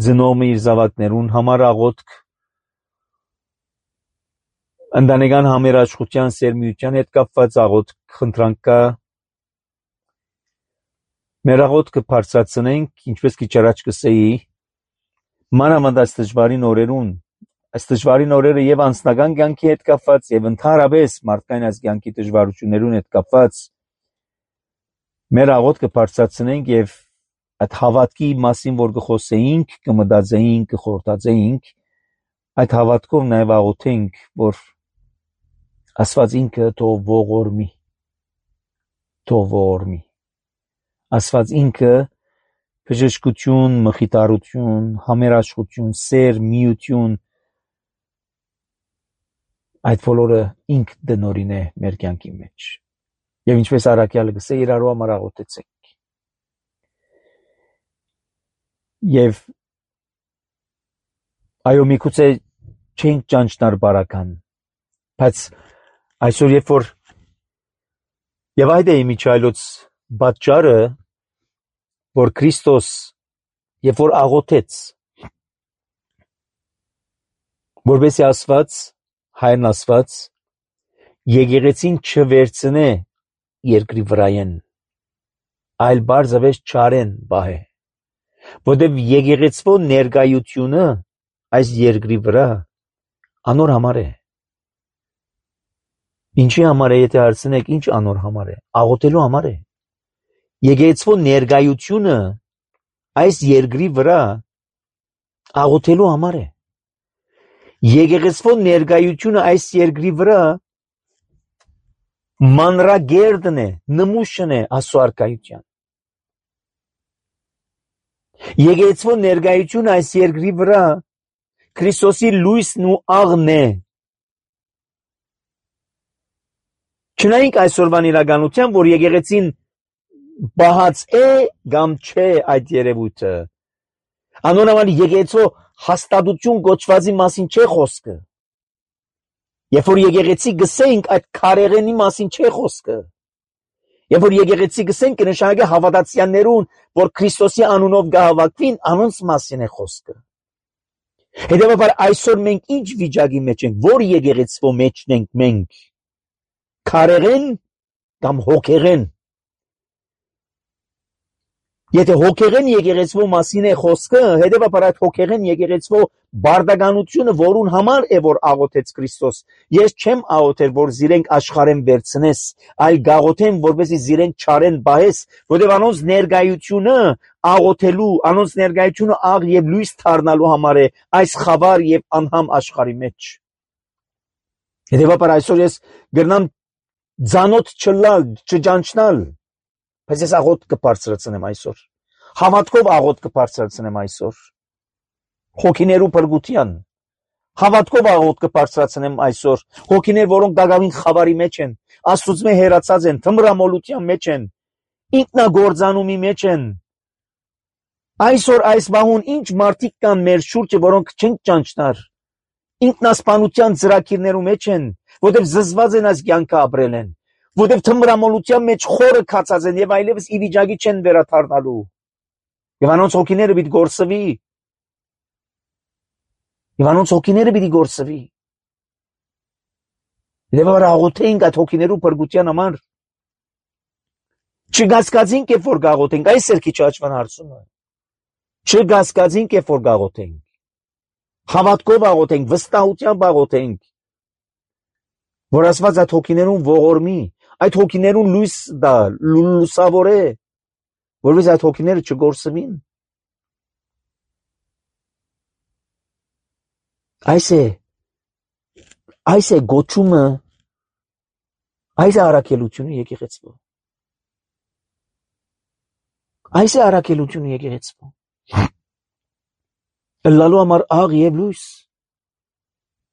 ծնողը իր զավակներուն համար աղոթք, ընտանեկան համերաշխության, սերմիության հետ կապված աղոթք, խնդրանք կա, մեր աղոթքը բարձրացնենք, ինչպես քիչ առաջ կսեի, մանավանդ այս դժվարին օրերուն, այս դժվարին օրերը եւ անձնական կյանքի հետ կապված եւ ընդհանրապես մարդկային այս կյանքի դժվարություններուն հետ կապված, մեր աղոթքը բարձրացնենք եւ այդ հավատքի մասին, որ կխոսեինք, կմտածեինք, կխորհրդածեինք, այդ հավատքով նաեւ աղոթենք, որ Աստված ինքը թող ողորմի, թող ողորմի, Աստված ինքը բժշկություն, մխիթարություն, համերաշխություն, սեր, միություն, այդ բոլորը ինք դնորին է մեր կյանքի մեջ։ Եվ ինչպես առաքյալը գսե, իրարու համար աղոթեցեք։ Եվ այո, միգուցե չենք ճանչնար բարական, բայց այսօր երբ որ եւ այդ է իմիջայլոց պատճառը, որ Քրիստոս երբ որ աղոթեց, որովհետեւ Աստված, հայրն Աստված, եկեղեցին չվերցնե երկրի վրայեն, այլ բարձավես չարեն բահե, որովհետեւ եկեղեցվո ներկայությունը այս երկրի վրա անոր համար է։ Ինչի համար է, եթե հարցնեք, ինչ անոր համար է, աղոթելու համար է։ Եկեղեցվո ներկայությունը այս երկրի վրա աղոթելու համար է։ Եկեղեցվո ներկայությունը այս երկրի վրա մանրագերդն է, նմուշն է Աստծո արքայության։ Եկեղեցվո ներկայությունը այս երկրի վրա Քրիստոսի լույսն ու աղն է։ Չնայինք այսօրվան իրականության, որ եկեղեցին բահած է կամ չէ այդ երևույթը։ Անոնավան եկեղեցու հաստատություն կոչվածի մասին չէ խոսքը։ Երբ որ եկեղեցի գսենք, այդ քարեղենի մասին չէ խոսքը։ Երբ որ եկեղեցի գսենք, կնշանակի հավատացյալներուն, որ Քրիստոսի անունով կհավաքվին, անոնց մասին է խոսքը։ Հետևաբար այսօր մենք ինչ վիճակի մեջ ենք, որ եկեղեցվո մեջն ենք մենք, քարեղեն կամ հոգեղեն։ Եթե հոգեղեն եկեղեցվո մասին է խոսքը, հետևաբար այդ հոգեղեն եկեղեցվո բարդականությունը, որուն համար է, որ աղոթեց Քրիստոս, ես չեմ աղոթել, որ զիրենք աշխարհեն վերցնես, այլ գաղոթեմ, որպեսզի զիրեն չարեն բահես, որտեղ անոնց ներկայությունը աղոթելու, անոնց ներկայությունը աղ եւ լույս դառնալու համար է այս խավար եւ անհամ աշխարհի մեջ։ Հետևաբար այսօր ես գրնամ ձանոթ չլալ, չճանչնալ, բայց ես աղոթ կբարձրացնեմ այսօր, հավատքով աղոթ կբարձրացնեմ այսօր, հոգիներու փրկության, հավատքով աղոթ կբարձրացնեմ այսօր, հոգիներ, որոնք դակավին խավարի մեջ են, Աստծուց հեռացած են, թմրամոլության մեջ են, ինքնագործանումի մեջ են։ Այսօր այս բահուն ինչ մարդիկ կան մեր շուրջը, որոնք չեն ճանչնար, ինքնասպանության ծրագիրներու մեջ են, որտեղ զզված են այս կյանքը ապրել են, որտեղ թմրամոլության մեջ խորը քացած են եւ այլևս ի վիճակի չեն վերադառնալու։ Եվ անոնց հոգիները պիտի գործվի։ Եվ անոնց հոգիները պիտի գործվի։ Եվ աղոթենք այդ հոգիներու փրկության համար։ Չգասկածինք, երբ որ գաղոթենք, այս էլ քիչ աճվան հարցումը։ Չգասկածինք է որ գաղութենք, հավատքով աղոթենք, վստահությամբ աղոթենք, որ Աստված այդ հոգիներուն ողորմի, այդ հոգիներուն լույս դա, լուսավոր է, որովհետեւ այդ հոգիները չգործվին։ Այս է, այս է գոչումը, այս է առաքելությունը եկեղեցու։ Այս է առաքելությունը եկեղեցու։ Լալու համար աղ եւ լույս։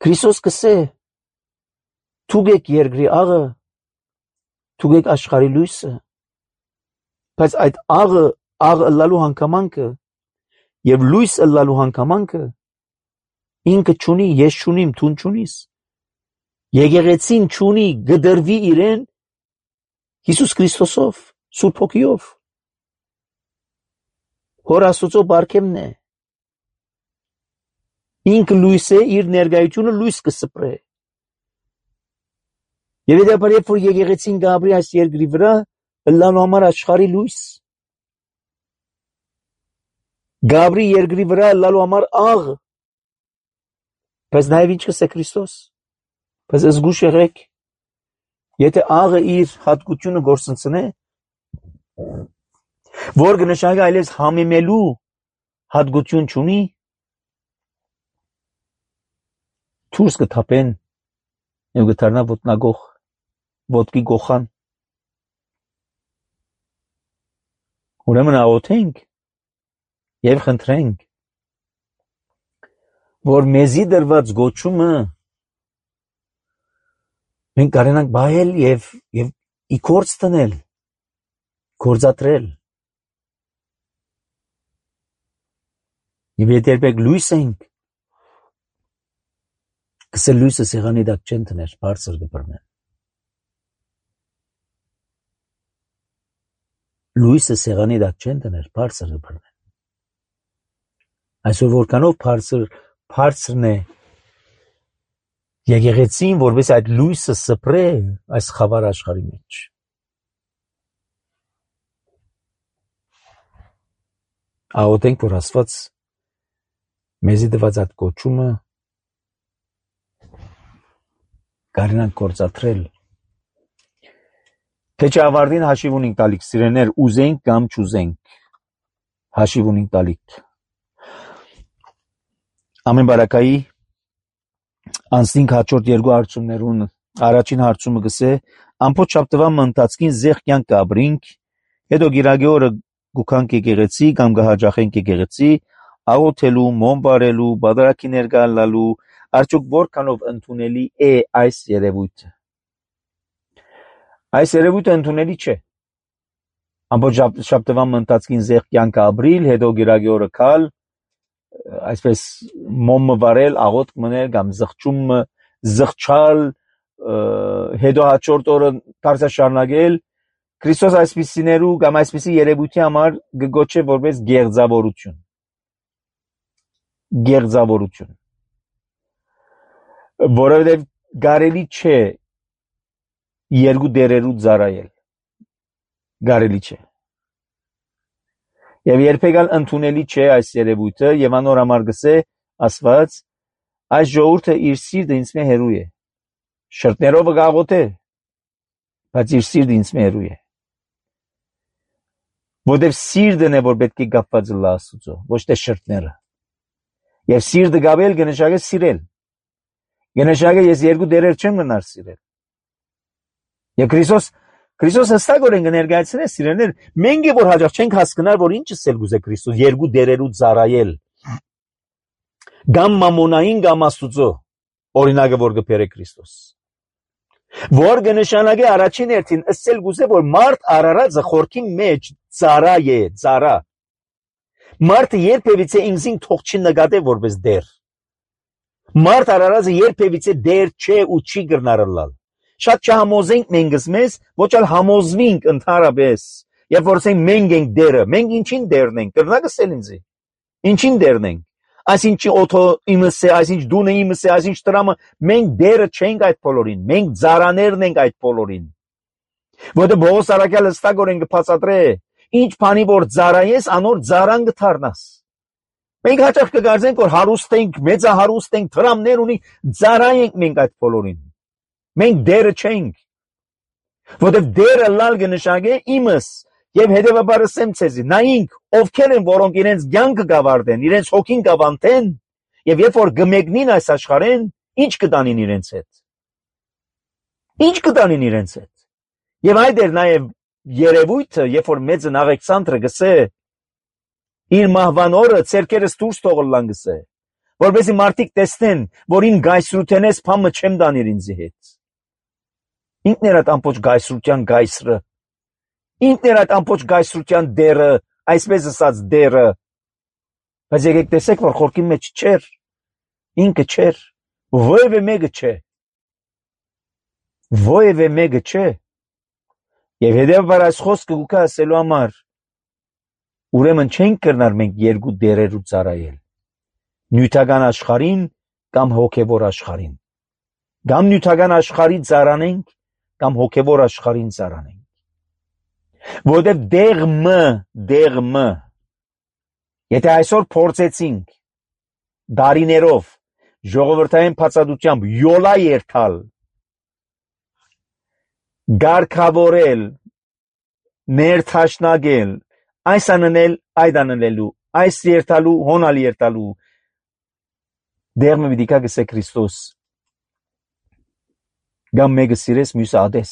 Քրիստոս կսե թուգեք երկրի աղը, թուգեք աշխարհի լույսը։ Բայց այդ աղը, աղ լալու հանգամանքը եւ լույս լալու հանգամանքը ինքը չունի, ես չունիմ, թուն չունիս։ Եկեղեցին չունի, գդրվի իրեն Հիսուս Քրիստոսով, Սուրբ Հոգիով։ Հոր Աստծո բարգեմն է։ Ինքը լույս է, իր ներկայությունը լույս կսպրե։ Եվ դեպի երբ որ եկեղեցին գաբրի այս երկրի վրա, լալու համար աշխարհի լույս։ Գաբրի երկրի վրա լալու համար աղ։ Բայց նաև ինչ կսե Քրիստոս։ Բայց զգուշ եղեք, եթե աղը իր հատկությունը գործընծնե, որ կնշանակի այլևս համեմելու հատկություն չունի, դուրս կթափեն եւ կդառնա ոտնագող, ոտքի գողան։ Ուրեմն աղոթենք եւ խնդրենք, որ մեզի դրված գոչումը մենք կարենանք բայել եւ եւ իքորց տնել, գործադրել։ Եվ եթե երբեք լույս ենք, կսել լույսը սեղանի դակ չեն տներ, բարձր կբռնեն։ Լույսը սեղանի դակ չեն տներ, բարձր կբռնեն։ Այսօր որքանով բարձր բարձրն է եկեղեցին, որպես այդ լույսը սփռե այս խավար աշխարհի մեջ։ Աղոթենք, որ Աստված մեզի տված այդ կոչումը կարենանք գործադրել։ Թե չավարտին հաշիվ ունենք տալիք, սիրեներ, ուզենք կամ չուզենք, հաշիվ ունենք տալիք։ Ամեն բարակայի անցնինք հաջորդ երկու հարցումներուն, առաջին հարցումը գսե, ամբողջ շաբթվա ընթացքին զեղ կյանք կաբրինք, հետո գիրագի օրը գուքանք եկեղեցի կամ կհաջախենք եկեղեցի, աղոթելու, մոմ բարելու, բادرակի ներկա լալու, արդյոք որքանով ընդունելի է այս երևույթը։ Այս երևույթը ընդունելի չէ։ Ամբողջ շաբթվա ընթացքին զեղ կյանք ապրիլ, հետո գիրագի օրը քալ, այսպես մոմը վարել, աղոթք մնել կամ զղջումը զղջալ, հետո հաջորդ օրը դարձյալ շարունակել, Քրիստոս այսպիսիներու կամ այսպիսի երևույթի համար գոչե որպես գեղձավորություն։ Գեղձավորություն։ Որովհետև կարելի չէ երկու դերերու ծառայել։ Կարելի չէ։ Եվ երբեք ալ ընդունելի չէ այս երևույթը, եւ անոր համար գսե Աստված, այս ժողովուրդը իր սիրտը ինձ մե հերու է։ Շրտներով գաղոթե, բայց իր սիրտը ինձ մե հերու է։ Որտեւ սիրտն է, որ պետք է կապված լա Աստծո, ոչ թե շրտները։ Եվ սիրտը գաբել կնշանակե սիրել։ Կնշանակե ես երկու դերեր չեմ գնար սիրել։ Եվ Քրիստոս Քրիստոս հստակորեն կներկայացնե սիրելիներ, մենք որ հաջող չենք հասկանալ, որ ինչ ասել գուզե Քրիստոս, երկու դերերու ծառայել։ Գամ մամոնային գամ Աստուծո, օրինակը որ կբերե Քրիստոս։ Որ կնշանակե առաջին հերթին ասել գուզե, որ մարդ արարածը խորքի մեջ ծառա է, ծառա։ Մարդը երբևիցե ինքնին թող չի նկատե որպես դեր։ Մարդ արարածը երբևիցե դեր չէ ու չի գրնարլալ։ Շատ չհամոզենք մենքս մեզ, ոչ էլ համոզվինք ընդհանրապես, երբ որ ասենք մենք ենք դերը, մենք ինչին դերն ենք, կրնակ ասել ինձի, ինչին դերն ենք, այսինչ օթո իմս է, այսինչ դունը իմս է, այսինչ տրամը, մենք դերը չենք այդ բոլորին, մենք ծառաներն ենք այդ բոլորին, որտեղ Պողոս առաքյալը հստակորեն կբացատրե, ինչ բանի որ ծառայես, անոր ծառան կդառնաս, Մենք հաճախ կգարձենք, որ հարուստ ենք, մեծահարուստ ենք, թրամներ ունենք, ծառայենք մենք այդ բոլորին։ Մենք դերը չենք, որովհետև դերը լալ կնշանակե իմս եւ հետեւաբար ասեմ ցեզի, նայինք ովքեր են, որոնք իրենց կյանքը կավարտեն, իրենց հոգին կավանտեն, եւ երբ որ գմեգնին այս աշխարհեն, ինչ կտանին իրենց հետ։ Ինչ կտանին իրենց հետ։ Եվ այդ էր նաեւ երևույթը, երբ որ մեծն Աղեքսանդրը գսե իր մահվան օրը ցերկերս դուրս թողլան գսե, որովհետեւ մարդիկ տեսնեն, որ ին գայսրութենես փամը չեմ դանիր ինձի հետ։ Ինքն էր այդ ամբողջ գայսրության գայսրը, ինքն էր այդ ամբողջ գայսրության դերը, այսպես ասած դերը, բայց եկեք տեսեք, որ խորքի մեջ չէր, ինքը չէր, ովևէ մեկը չէ, ովևէ մեկը չէ, եւ հետեւաբար այս խոսքը գուկա ասելու համար, ուրեմն չենք կրնար մենք երկու դերերու ծառայել, նյութական աշխարհին կամ հոգևոր աշխարհին, կամ նյութական աշխարհի ծառանենք, կամ հոգևոր աշխարհին ծառանենք, որովհետև դեղմը, դեղմը, եթե այսօր փորձեցինք դարիներով ժողովրդային բացատությամբ յոլա երթալ, գարկավորել, ներթաշնագել, այս աննել, այդ աննելու, այս երթալու, հոնալ երթալու, դեղմը պիտի կա գսե Քրիստոս, գամ մեկը սիրես, մյուսը ադես,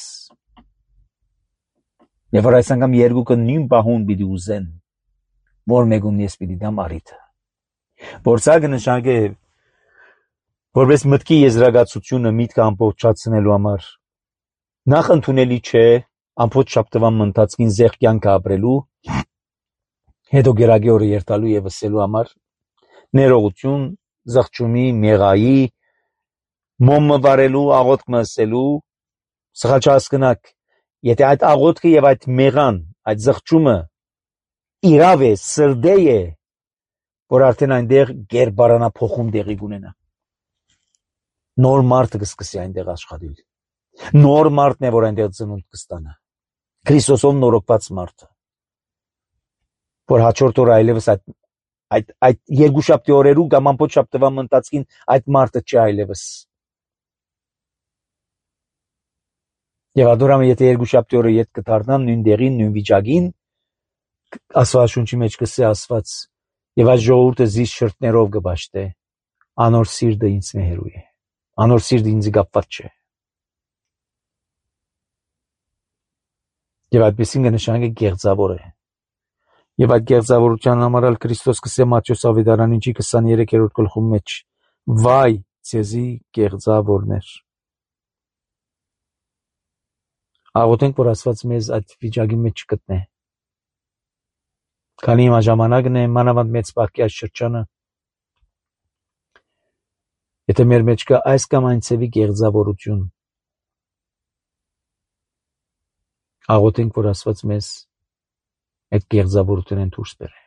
եւ որ այս անգամ երկուքը նույն բահուն պիտի ուզեն, որ մեկում ես պիտի դամ արիթը, որ սա կնշանակե, որպես մտքի եզրակացությունը միտքը ամբողջացնելու համար, նախ ընդունելի չէ ամբողջ շաբթվան ընթացքին զեղ կյանքը ապրելու, հետո գերագի օրը երթալու եւ ասելու համար, ներողություն, զղջումի, մեղայի, մոմը վարելու, աղոթքը ասելու, սխալ չհասկնաք, եթե այդ աղոթքը եւ այդ մեղան, այդ զղջումը իրավ է, սրդե է, որ արդեն այնտեղ գերբարանափոխում տեղի կունենա։ Նոր մարդը կսկսի այնտեղ աշխատել։ Նոր մարդն է, որ այնտեղ ծնունդ կստանա։ Քրիստոսով նորոգված մարդը, որ հաջորդ օրը այլևս այդ այդ այդ երկու շաբթի օրերու կամ ամբողջ շաբթվան ընթացքին այդ մարդը չի այլևս։ Եվ ադորամը եթե երկու շաբթի օրը ետ կդառնան նույն դեղին, նույն վիճակին, Աստվածաշունչի մեջ կսե ասված, եւ այս ժողովուրդը զիս շրթներով կբաշտե, անոր սիրտը ինձ մեհերու է, անոր սիրտը ինձ կապված չէ։ Եվ այդպեսին կնշանակե գեղձավոր է։ Եվ այդ գեղձավորության համար ալ Քրիստոս կսե Մատթեոս ավետարանիչի քսաներեքերորդ գլխում մեջ, վայ ցեզի գեղձավորներ։ Աղոթենք, որ Աստված մեզ այդ վիճակի մեջ չգտնե։ Քանի հիմա ժամանակն է, մանավանդ մեծ պահքի այս շրջանը, եթե մեր մեջ կա այս կամ այն ցևի գեղձավորություն, աղոթենք, որ Աստված մեզ այդ գեղձավորությունն դուրս բերե։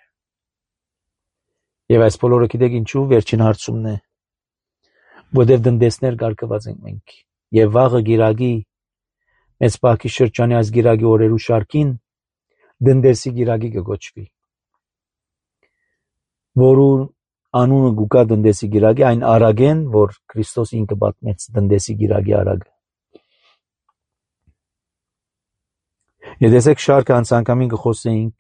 Եվ այս բոլորը գիտեք ինչու, վերջին հարցումն է, որտեղ դնդեսներ կարգված ենք մենք, եւ վաղը գիրագի մեծ պահքի շրջանի այս գիրագի օրերու շարքին դնդեսի գիրագի կգոչվի, որու անունը գուկա դնդեսի գիրագի, այն արագեն, որ Քրիստոս ինքը պատմեց դնդեսի գիրագի արագը։ Եդեսեք շարքը անցանկամին կխոսեինք,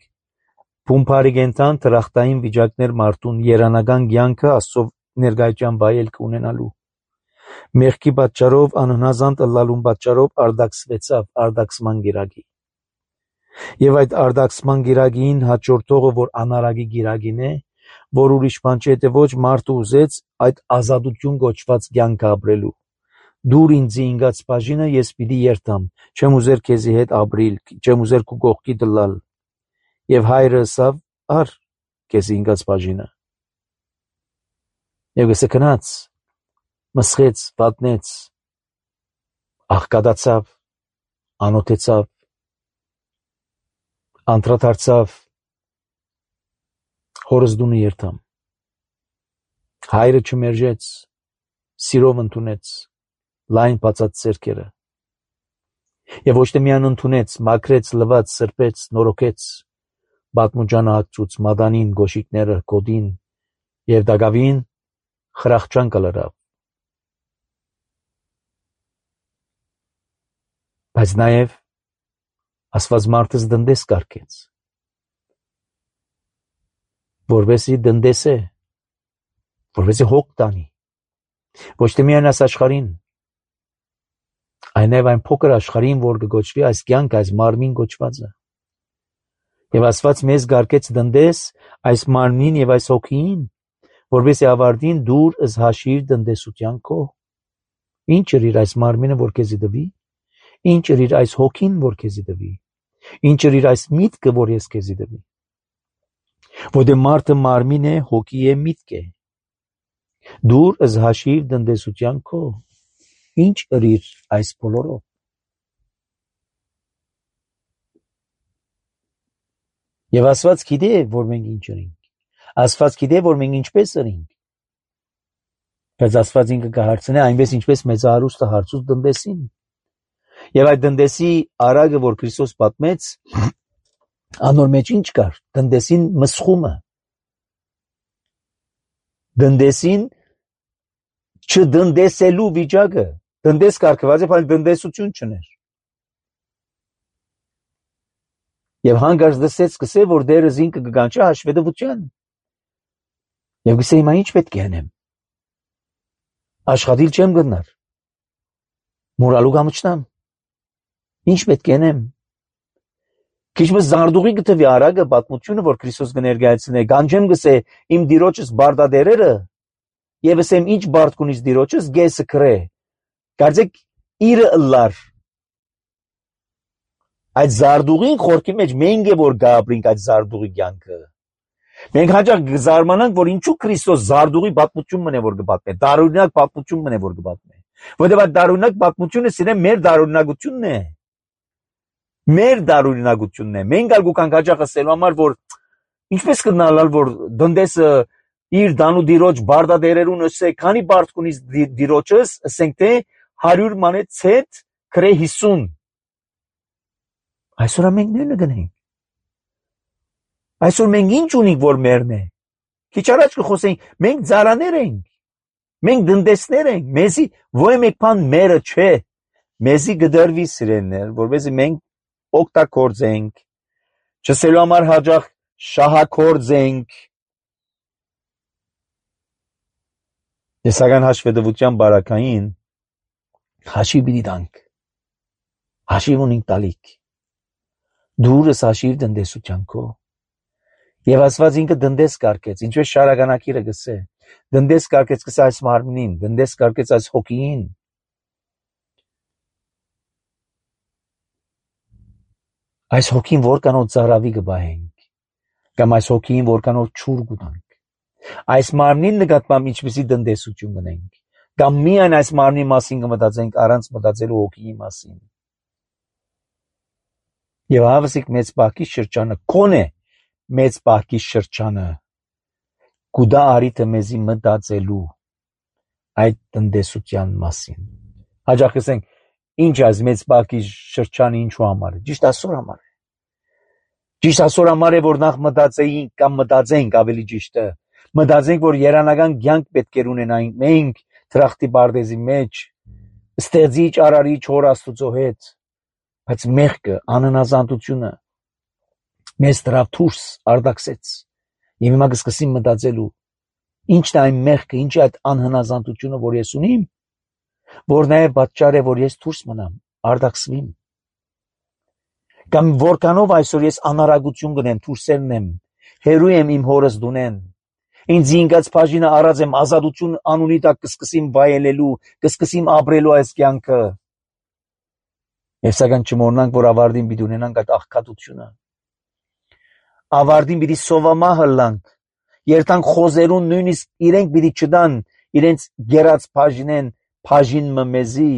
փումփարիգենտան տրախտային վիճակներ մարդուն երանական կյանքը Աստծով ներկայության վայել կունենալու։ Մեղքի պատճառով անհնազանդ ըլլալուն պատճառով արդակսվեցավ արդակսման գիրագի։ Եվ այդ արդակսման գիրագին հաջորդողը, որ անարագի գիրագին է, որ ուրիշ բան չէ, թե ոչ մարդը ուզեց այդ ազատություն գոչված կյանքը ապրելու։ Դուր ինձի ինգած բաժինը ես պիտի երթամ, չեմ ուզեր քեզի հետ ապրիլ, չեմ ուզեր քու կողքի դլալ։ Եվ հայրը ասավ, ար քեզի ինգած բաժինը։ Եվ գսե քնած, մսխեց, պատնեց, աղկադացավ, անոթեցավ, անդրադարձավ, հորս դունը երթամ։ Հայրը չմերժեց, սիրով ընդունեց, լայն բացած ձեռքերը։ Եվ ոչ թե միայն ընդունեց, մաքրեց, լվաց, սրբեց, նորոգեց, պատմուջանը հագցուց, մադանին, գոշիկները, կոդին, Եվ դակավին խրախճան կլրավ։ Բայց նաև ասված մարդս դնդես կարկեց, որովհետեւ դնդես է, որովհետեւ հոգ տանի, ոչ թե միայն այս աշխարհին, այլև այն փոքր աշխարհին, որ կգոչվի այս կյանք, այս մարմին գոչվածը։ Եվ ասված մեզ կարկեց դնդես այս մարմին եւ այս հոգին, որովհետեւ ավարտին դուր ըս հաշիր դնդեսության քո։ Ինչ էր իր այս մարմինը, որ քեզի դվի, ինչ էր իր այս հոգին, որ քեզի դվի, ինչ էր իր այս միտքը, որ ես քեզի դվի։ Որտե մարդը մարմին է, հոգի է, միտք է։ Դուր ըս հաշիր դնդեսության քո։ Ինչ ըրիր այս բոլորով։ Եվ ասված գիտե, որ մենք ինչ ըրինք։ Ասված գիտե, որ մենք ինչպես ըրինք։ Բայց ասված ինքը կհարցնե այնպես ինչպես մեծահարուստը հարցուց դնդեսին։ Եվ այդ դնդեսի արագը, որ Քրիստոս պատմեց, անոր մեջ ինչ կար։ Դնդեսին մսխումը։ Դնդեսին չդնդեսելու վիճակը։ Դնդես կարգված է, բայց դնդեսություն չներ։ Եվ հանգարց դսեց սկսե, որ դերը զինքը կգանչա հաշվետվության։ Եվ գսե հիմա ինչ պետք է անեմ։ Աշխատիլ չեմ գնար։ Մորալու կամչնամ։ Ինչ պետք է անեմ։ Քիչմս զարդուղի գտվի արագը պատմությունը, որ Քրիստոս կներկայացնե, գանջեմ գսե իմ դիրոջս բարդադերերը, եւ ասեմ ինչ բարդ կունիս դիրոջս գեսը քրե։ Կարծեք իրը ըլլար։ Այդ զարդուղին խորքի մեջ մենք է որ գաբրինք այդ զարդուղի կյանքը։ Մենք հաճախ գզարմանանք, որ ինչու Քրիստոս զարդուղի պատմություն մնե որ կպատմե, դարօրինակ պատմություն մնե որ կպատմե։ Որտեղ այդ դարօրինակ պատմությունը սիրեմ մեր դարօրինակությունն է։ Մեր դարօրինակությունն է։ Մենք ալգուքանք հաճախ ասելու համար, որ ինչպես կնալալ, որ դնդեսը իր դանու դիրոջ բարդադերերուն ասե, քանի բարդ կունիս դիրոջս, ասենք թե հարյուր մանե ցետ քրե հիսուն։ Այսօր մենք նույնը գնենք։ Այսօր մենք ինչ ունենք, որ մերն է։ Քիչ առաջ կխոսենք, մենք ծարաներ ենք։ Մենք դնդեսներ ենք։ Մեզի ոչ մեկ բան մերը չէ։ Մեզի գդրվի սիրելներ, որովհետեւ մենք օգտագործենք, չսելու համար հաջող շահագործենք։ Տեսական հաշվետվության բարակային հաշիվ պիտի տանք։ Հաշիվ ունենք տալիք։ Դուրս հաշիվ դնդեսության քո։ Եվ ասված ինքը դնդես կարկեց, ինչպես շարականակիրը գսե։ Դնդես կարկեց գսե այս մարմնին, դնդես կարկեց այս հոգին։ Այս հոգին որքանով ծարավի կբահենք, կամ այս հոգին որքանով չուր կուտանք։ Այս մարմնին նկատմամբ ինչպեսի դնդեսություն գնենք, կամ միայն այս մարմնի մասին կմտածենք առանց մտածելու հոգիի մասին։ Եվ հավասիկ մեծ բակի շրջանը, կոնե մեծ բակի շրջանը, կուդա արիթը մեզի մտածելու այդ դնդեսության մասին։ Հաջախ ասենք, ինչ այս մեծ բակի շրջանը ինչու համար է, ճիշտ ասոր համար է։ Ճիշտ ասոր համար է, որ նախ մտածեինք կամ մտածենք ավելի ճիշտը, մտածենք, որ երանական կյանք պետք է ունենանք մենք թրախտի բարդեզի մեջ, ստեղծիչ արարիչ հոր Աստուծո հետ, բայց մեղքը, անհնազանդությունը մեզ դրավ դուրս արդակսեց։ Եվ հիմա կսկսեմ մտածելու, ինչն է այն մեղքը, ինչ է այդ անհնազանդությունը, որ ես ունիմ, որ նաև պատճառ է, որ ես դուրս մնամ, արդակսվիմ։ Կամ որքանով այսօր ես անարագություն կնեմ, դուրսերնեմ, հերու եմ իմ հորս դունեն։ Ինձ ինքած բաժինը առած եմ ազատություն անունի տակ կսկսեմ վայելելու, կսկսեմ ապրելու այս կյանքը։ Եվ սակայն չմոռնանք, որ ավարտին պիտի ունենանք այդ աղքատությունը։ Ավարտին պիտի սովամա հլանք, երթանք խոզերուն նույնիսկ իրենք պիտի չդան, իրենց գերած բաժինեն, բաժին մեզի։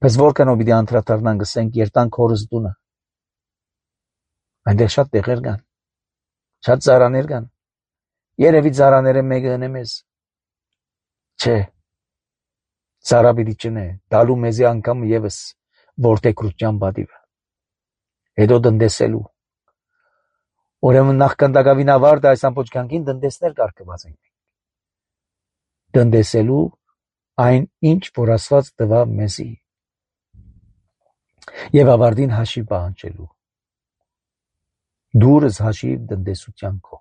Բայց որքանով պիտի անդրադառնանք, ասենք, երթանք հորս դունը։ Այնտեղ շատ տեղեր կան, շատ ծարաներ կան։ Երևի ծարաները մեկը ընեմ ես։ Չէ, ծարա պիտի չնե, դալու մեզի անգամ ևս որդեգրության պատիվը։ Հետո դնդեսելու։ Ուրեմն նախքանդակավին ավարտը այս ամբողջ կյանքին դնդեսներ կարգված ենք։ Դնդեսելու այն ինչ որ Աստված տվավ մեզի եւ ավարտին հաշիվ պահանջելու։ Դուրս հաշիվ դնդեսության քո։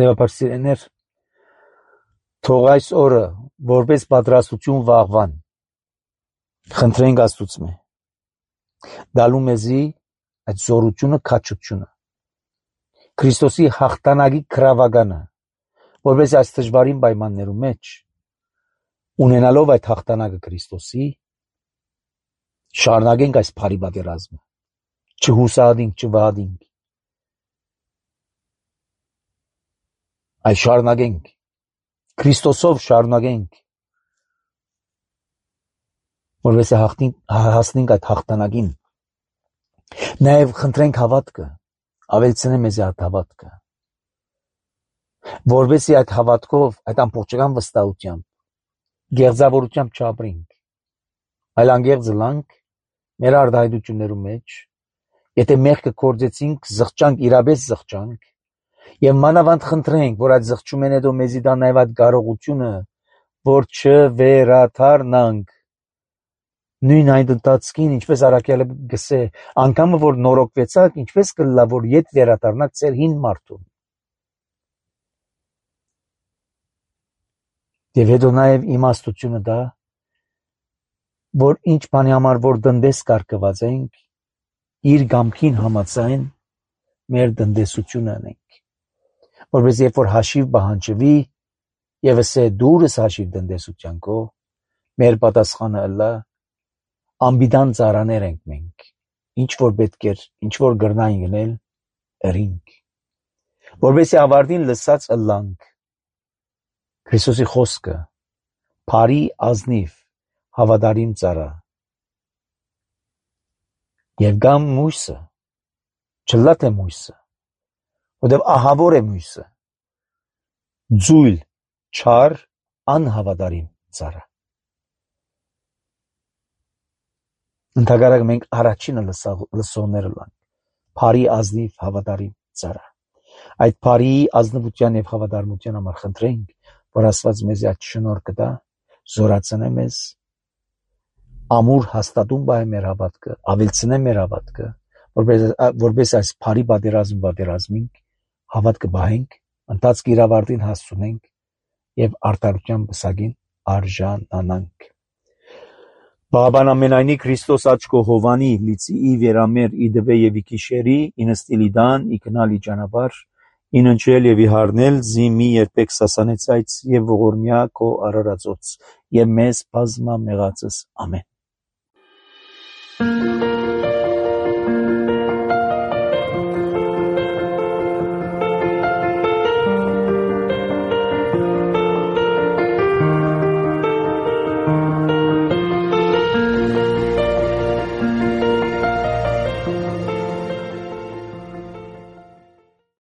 Եվ սիրեներ, թող այս օրը որպես պատրաստություն վաղվան խնդրենք Աստծուց մե դալու մեզի այդ զորությունը, քաջությունը, Քրիստոսի հաղթանակի քրավագանը, որպես այս դժվարին պայմաններում մեջ ունենալով այդ հաղթանակը Քրիստոսի, շարունակենք այս բարի պատերազմը, չհուսահատենք, չվհատենք, այս շարունակենք, Քրիստոսով շարունակենք, որպես հասնենք այդ հաղթանակին, նաև խնդրենք հավատքը, ավելցնե մեզ այդ հավատքը, որպեսզի այդ հավատքով, այդ ամբողջական վստահությամբ, գեղձավորությամբ չապրենք, այլ անգեղծ լանք մեր արտահայտություններում մեջ, եթե մեղքը կործեցինք, զղջանք, իրապես զղջանք, եւ մանավանդ խնդրենք, որ այդ զղջումեն հետո մեզի տա նաև այդ կարողությունը, որ չվերաթարնանք, նույն այդ ընթացքին, ինչպես Առաքյալը գսե, անգամը որ նորոգվեցաք, ինչպես կլա, որ ետ վերադառնաք ձեր հին մարդուն։ Եվ հետո նաև իմաստությունը դա, որ ինչ բանի համար որ դնդես կարգված ենք, իր գամքին համաձայն մեր դնդեսությունը անենք, որպես երբ որ հաշիվ պահանջվի եւ ասե դուրս հաշիվ դնդեսության քո, մեր պատասխանը ըլլա ամբիդան ծարաներ ենք մենք, ինչ որ պետք էր, ինչ որ գրնային գնել, ըրինք, որպեսզի ավարտին լսած ըլլանք Քրիստոսի խոսքը, բարի ազնիվ հավատարիմ ծառա, եւ գամ մույսը, չլա թե մույսը, որտեւ ահավոր է մույսը, ձույլ, չար, անհավատարիմ ծառա։ Ընդհակառակ մենք առաջինը լսողները լանք, բարի ազնիվ հավատարիմ ծառա։ Այդ բարի ազնվության եւ հավատարմության համար խնդրենք, որ Աստված մեզ այդ շնորհքը տա, զորացնե մեզ, ամուր հաստատում բայ մեր հավատքը, ավելցնե մեր հավատքը, որպես որպես այս բարի պատերազմ պատերազմենք, հավատքը բահենք, ընթացքի իրավարտին հասցնենք եւ արդարության բսակին արժանանանք։ Բաբան ամենայնի Քրիստոս աչքո Հովանի լիցի ի վերամեր ի դվե եւ ի քիշերի ինստիլի դան ի կնալի ճանապարհ ինընչել եւ ի հարնել զի մի երբեք սասանեցայց եւ ողորմյա քո արարածոց եւ մեզ բազմա մեղածս ամեն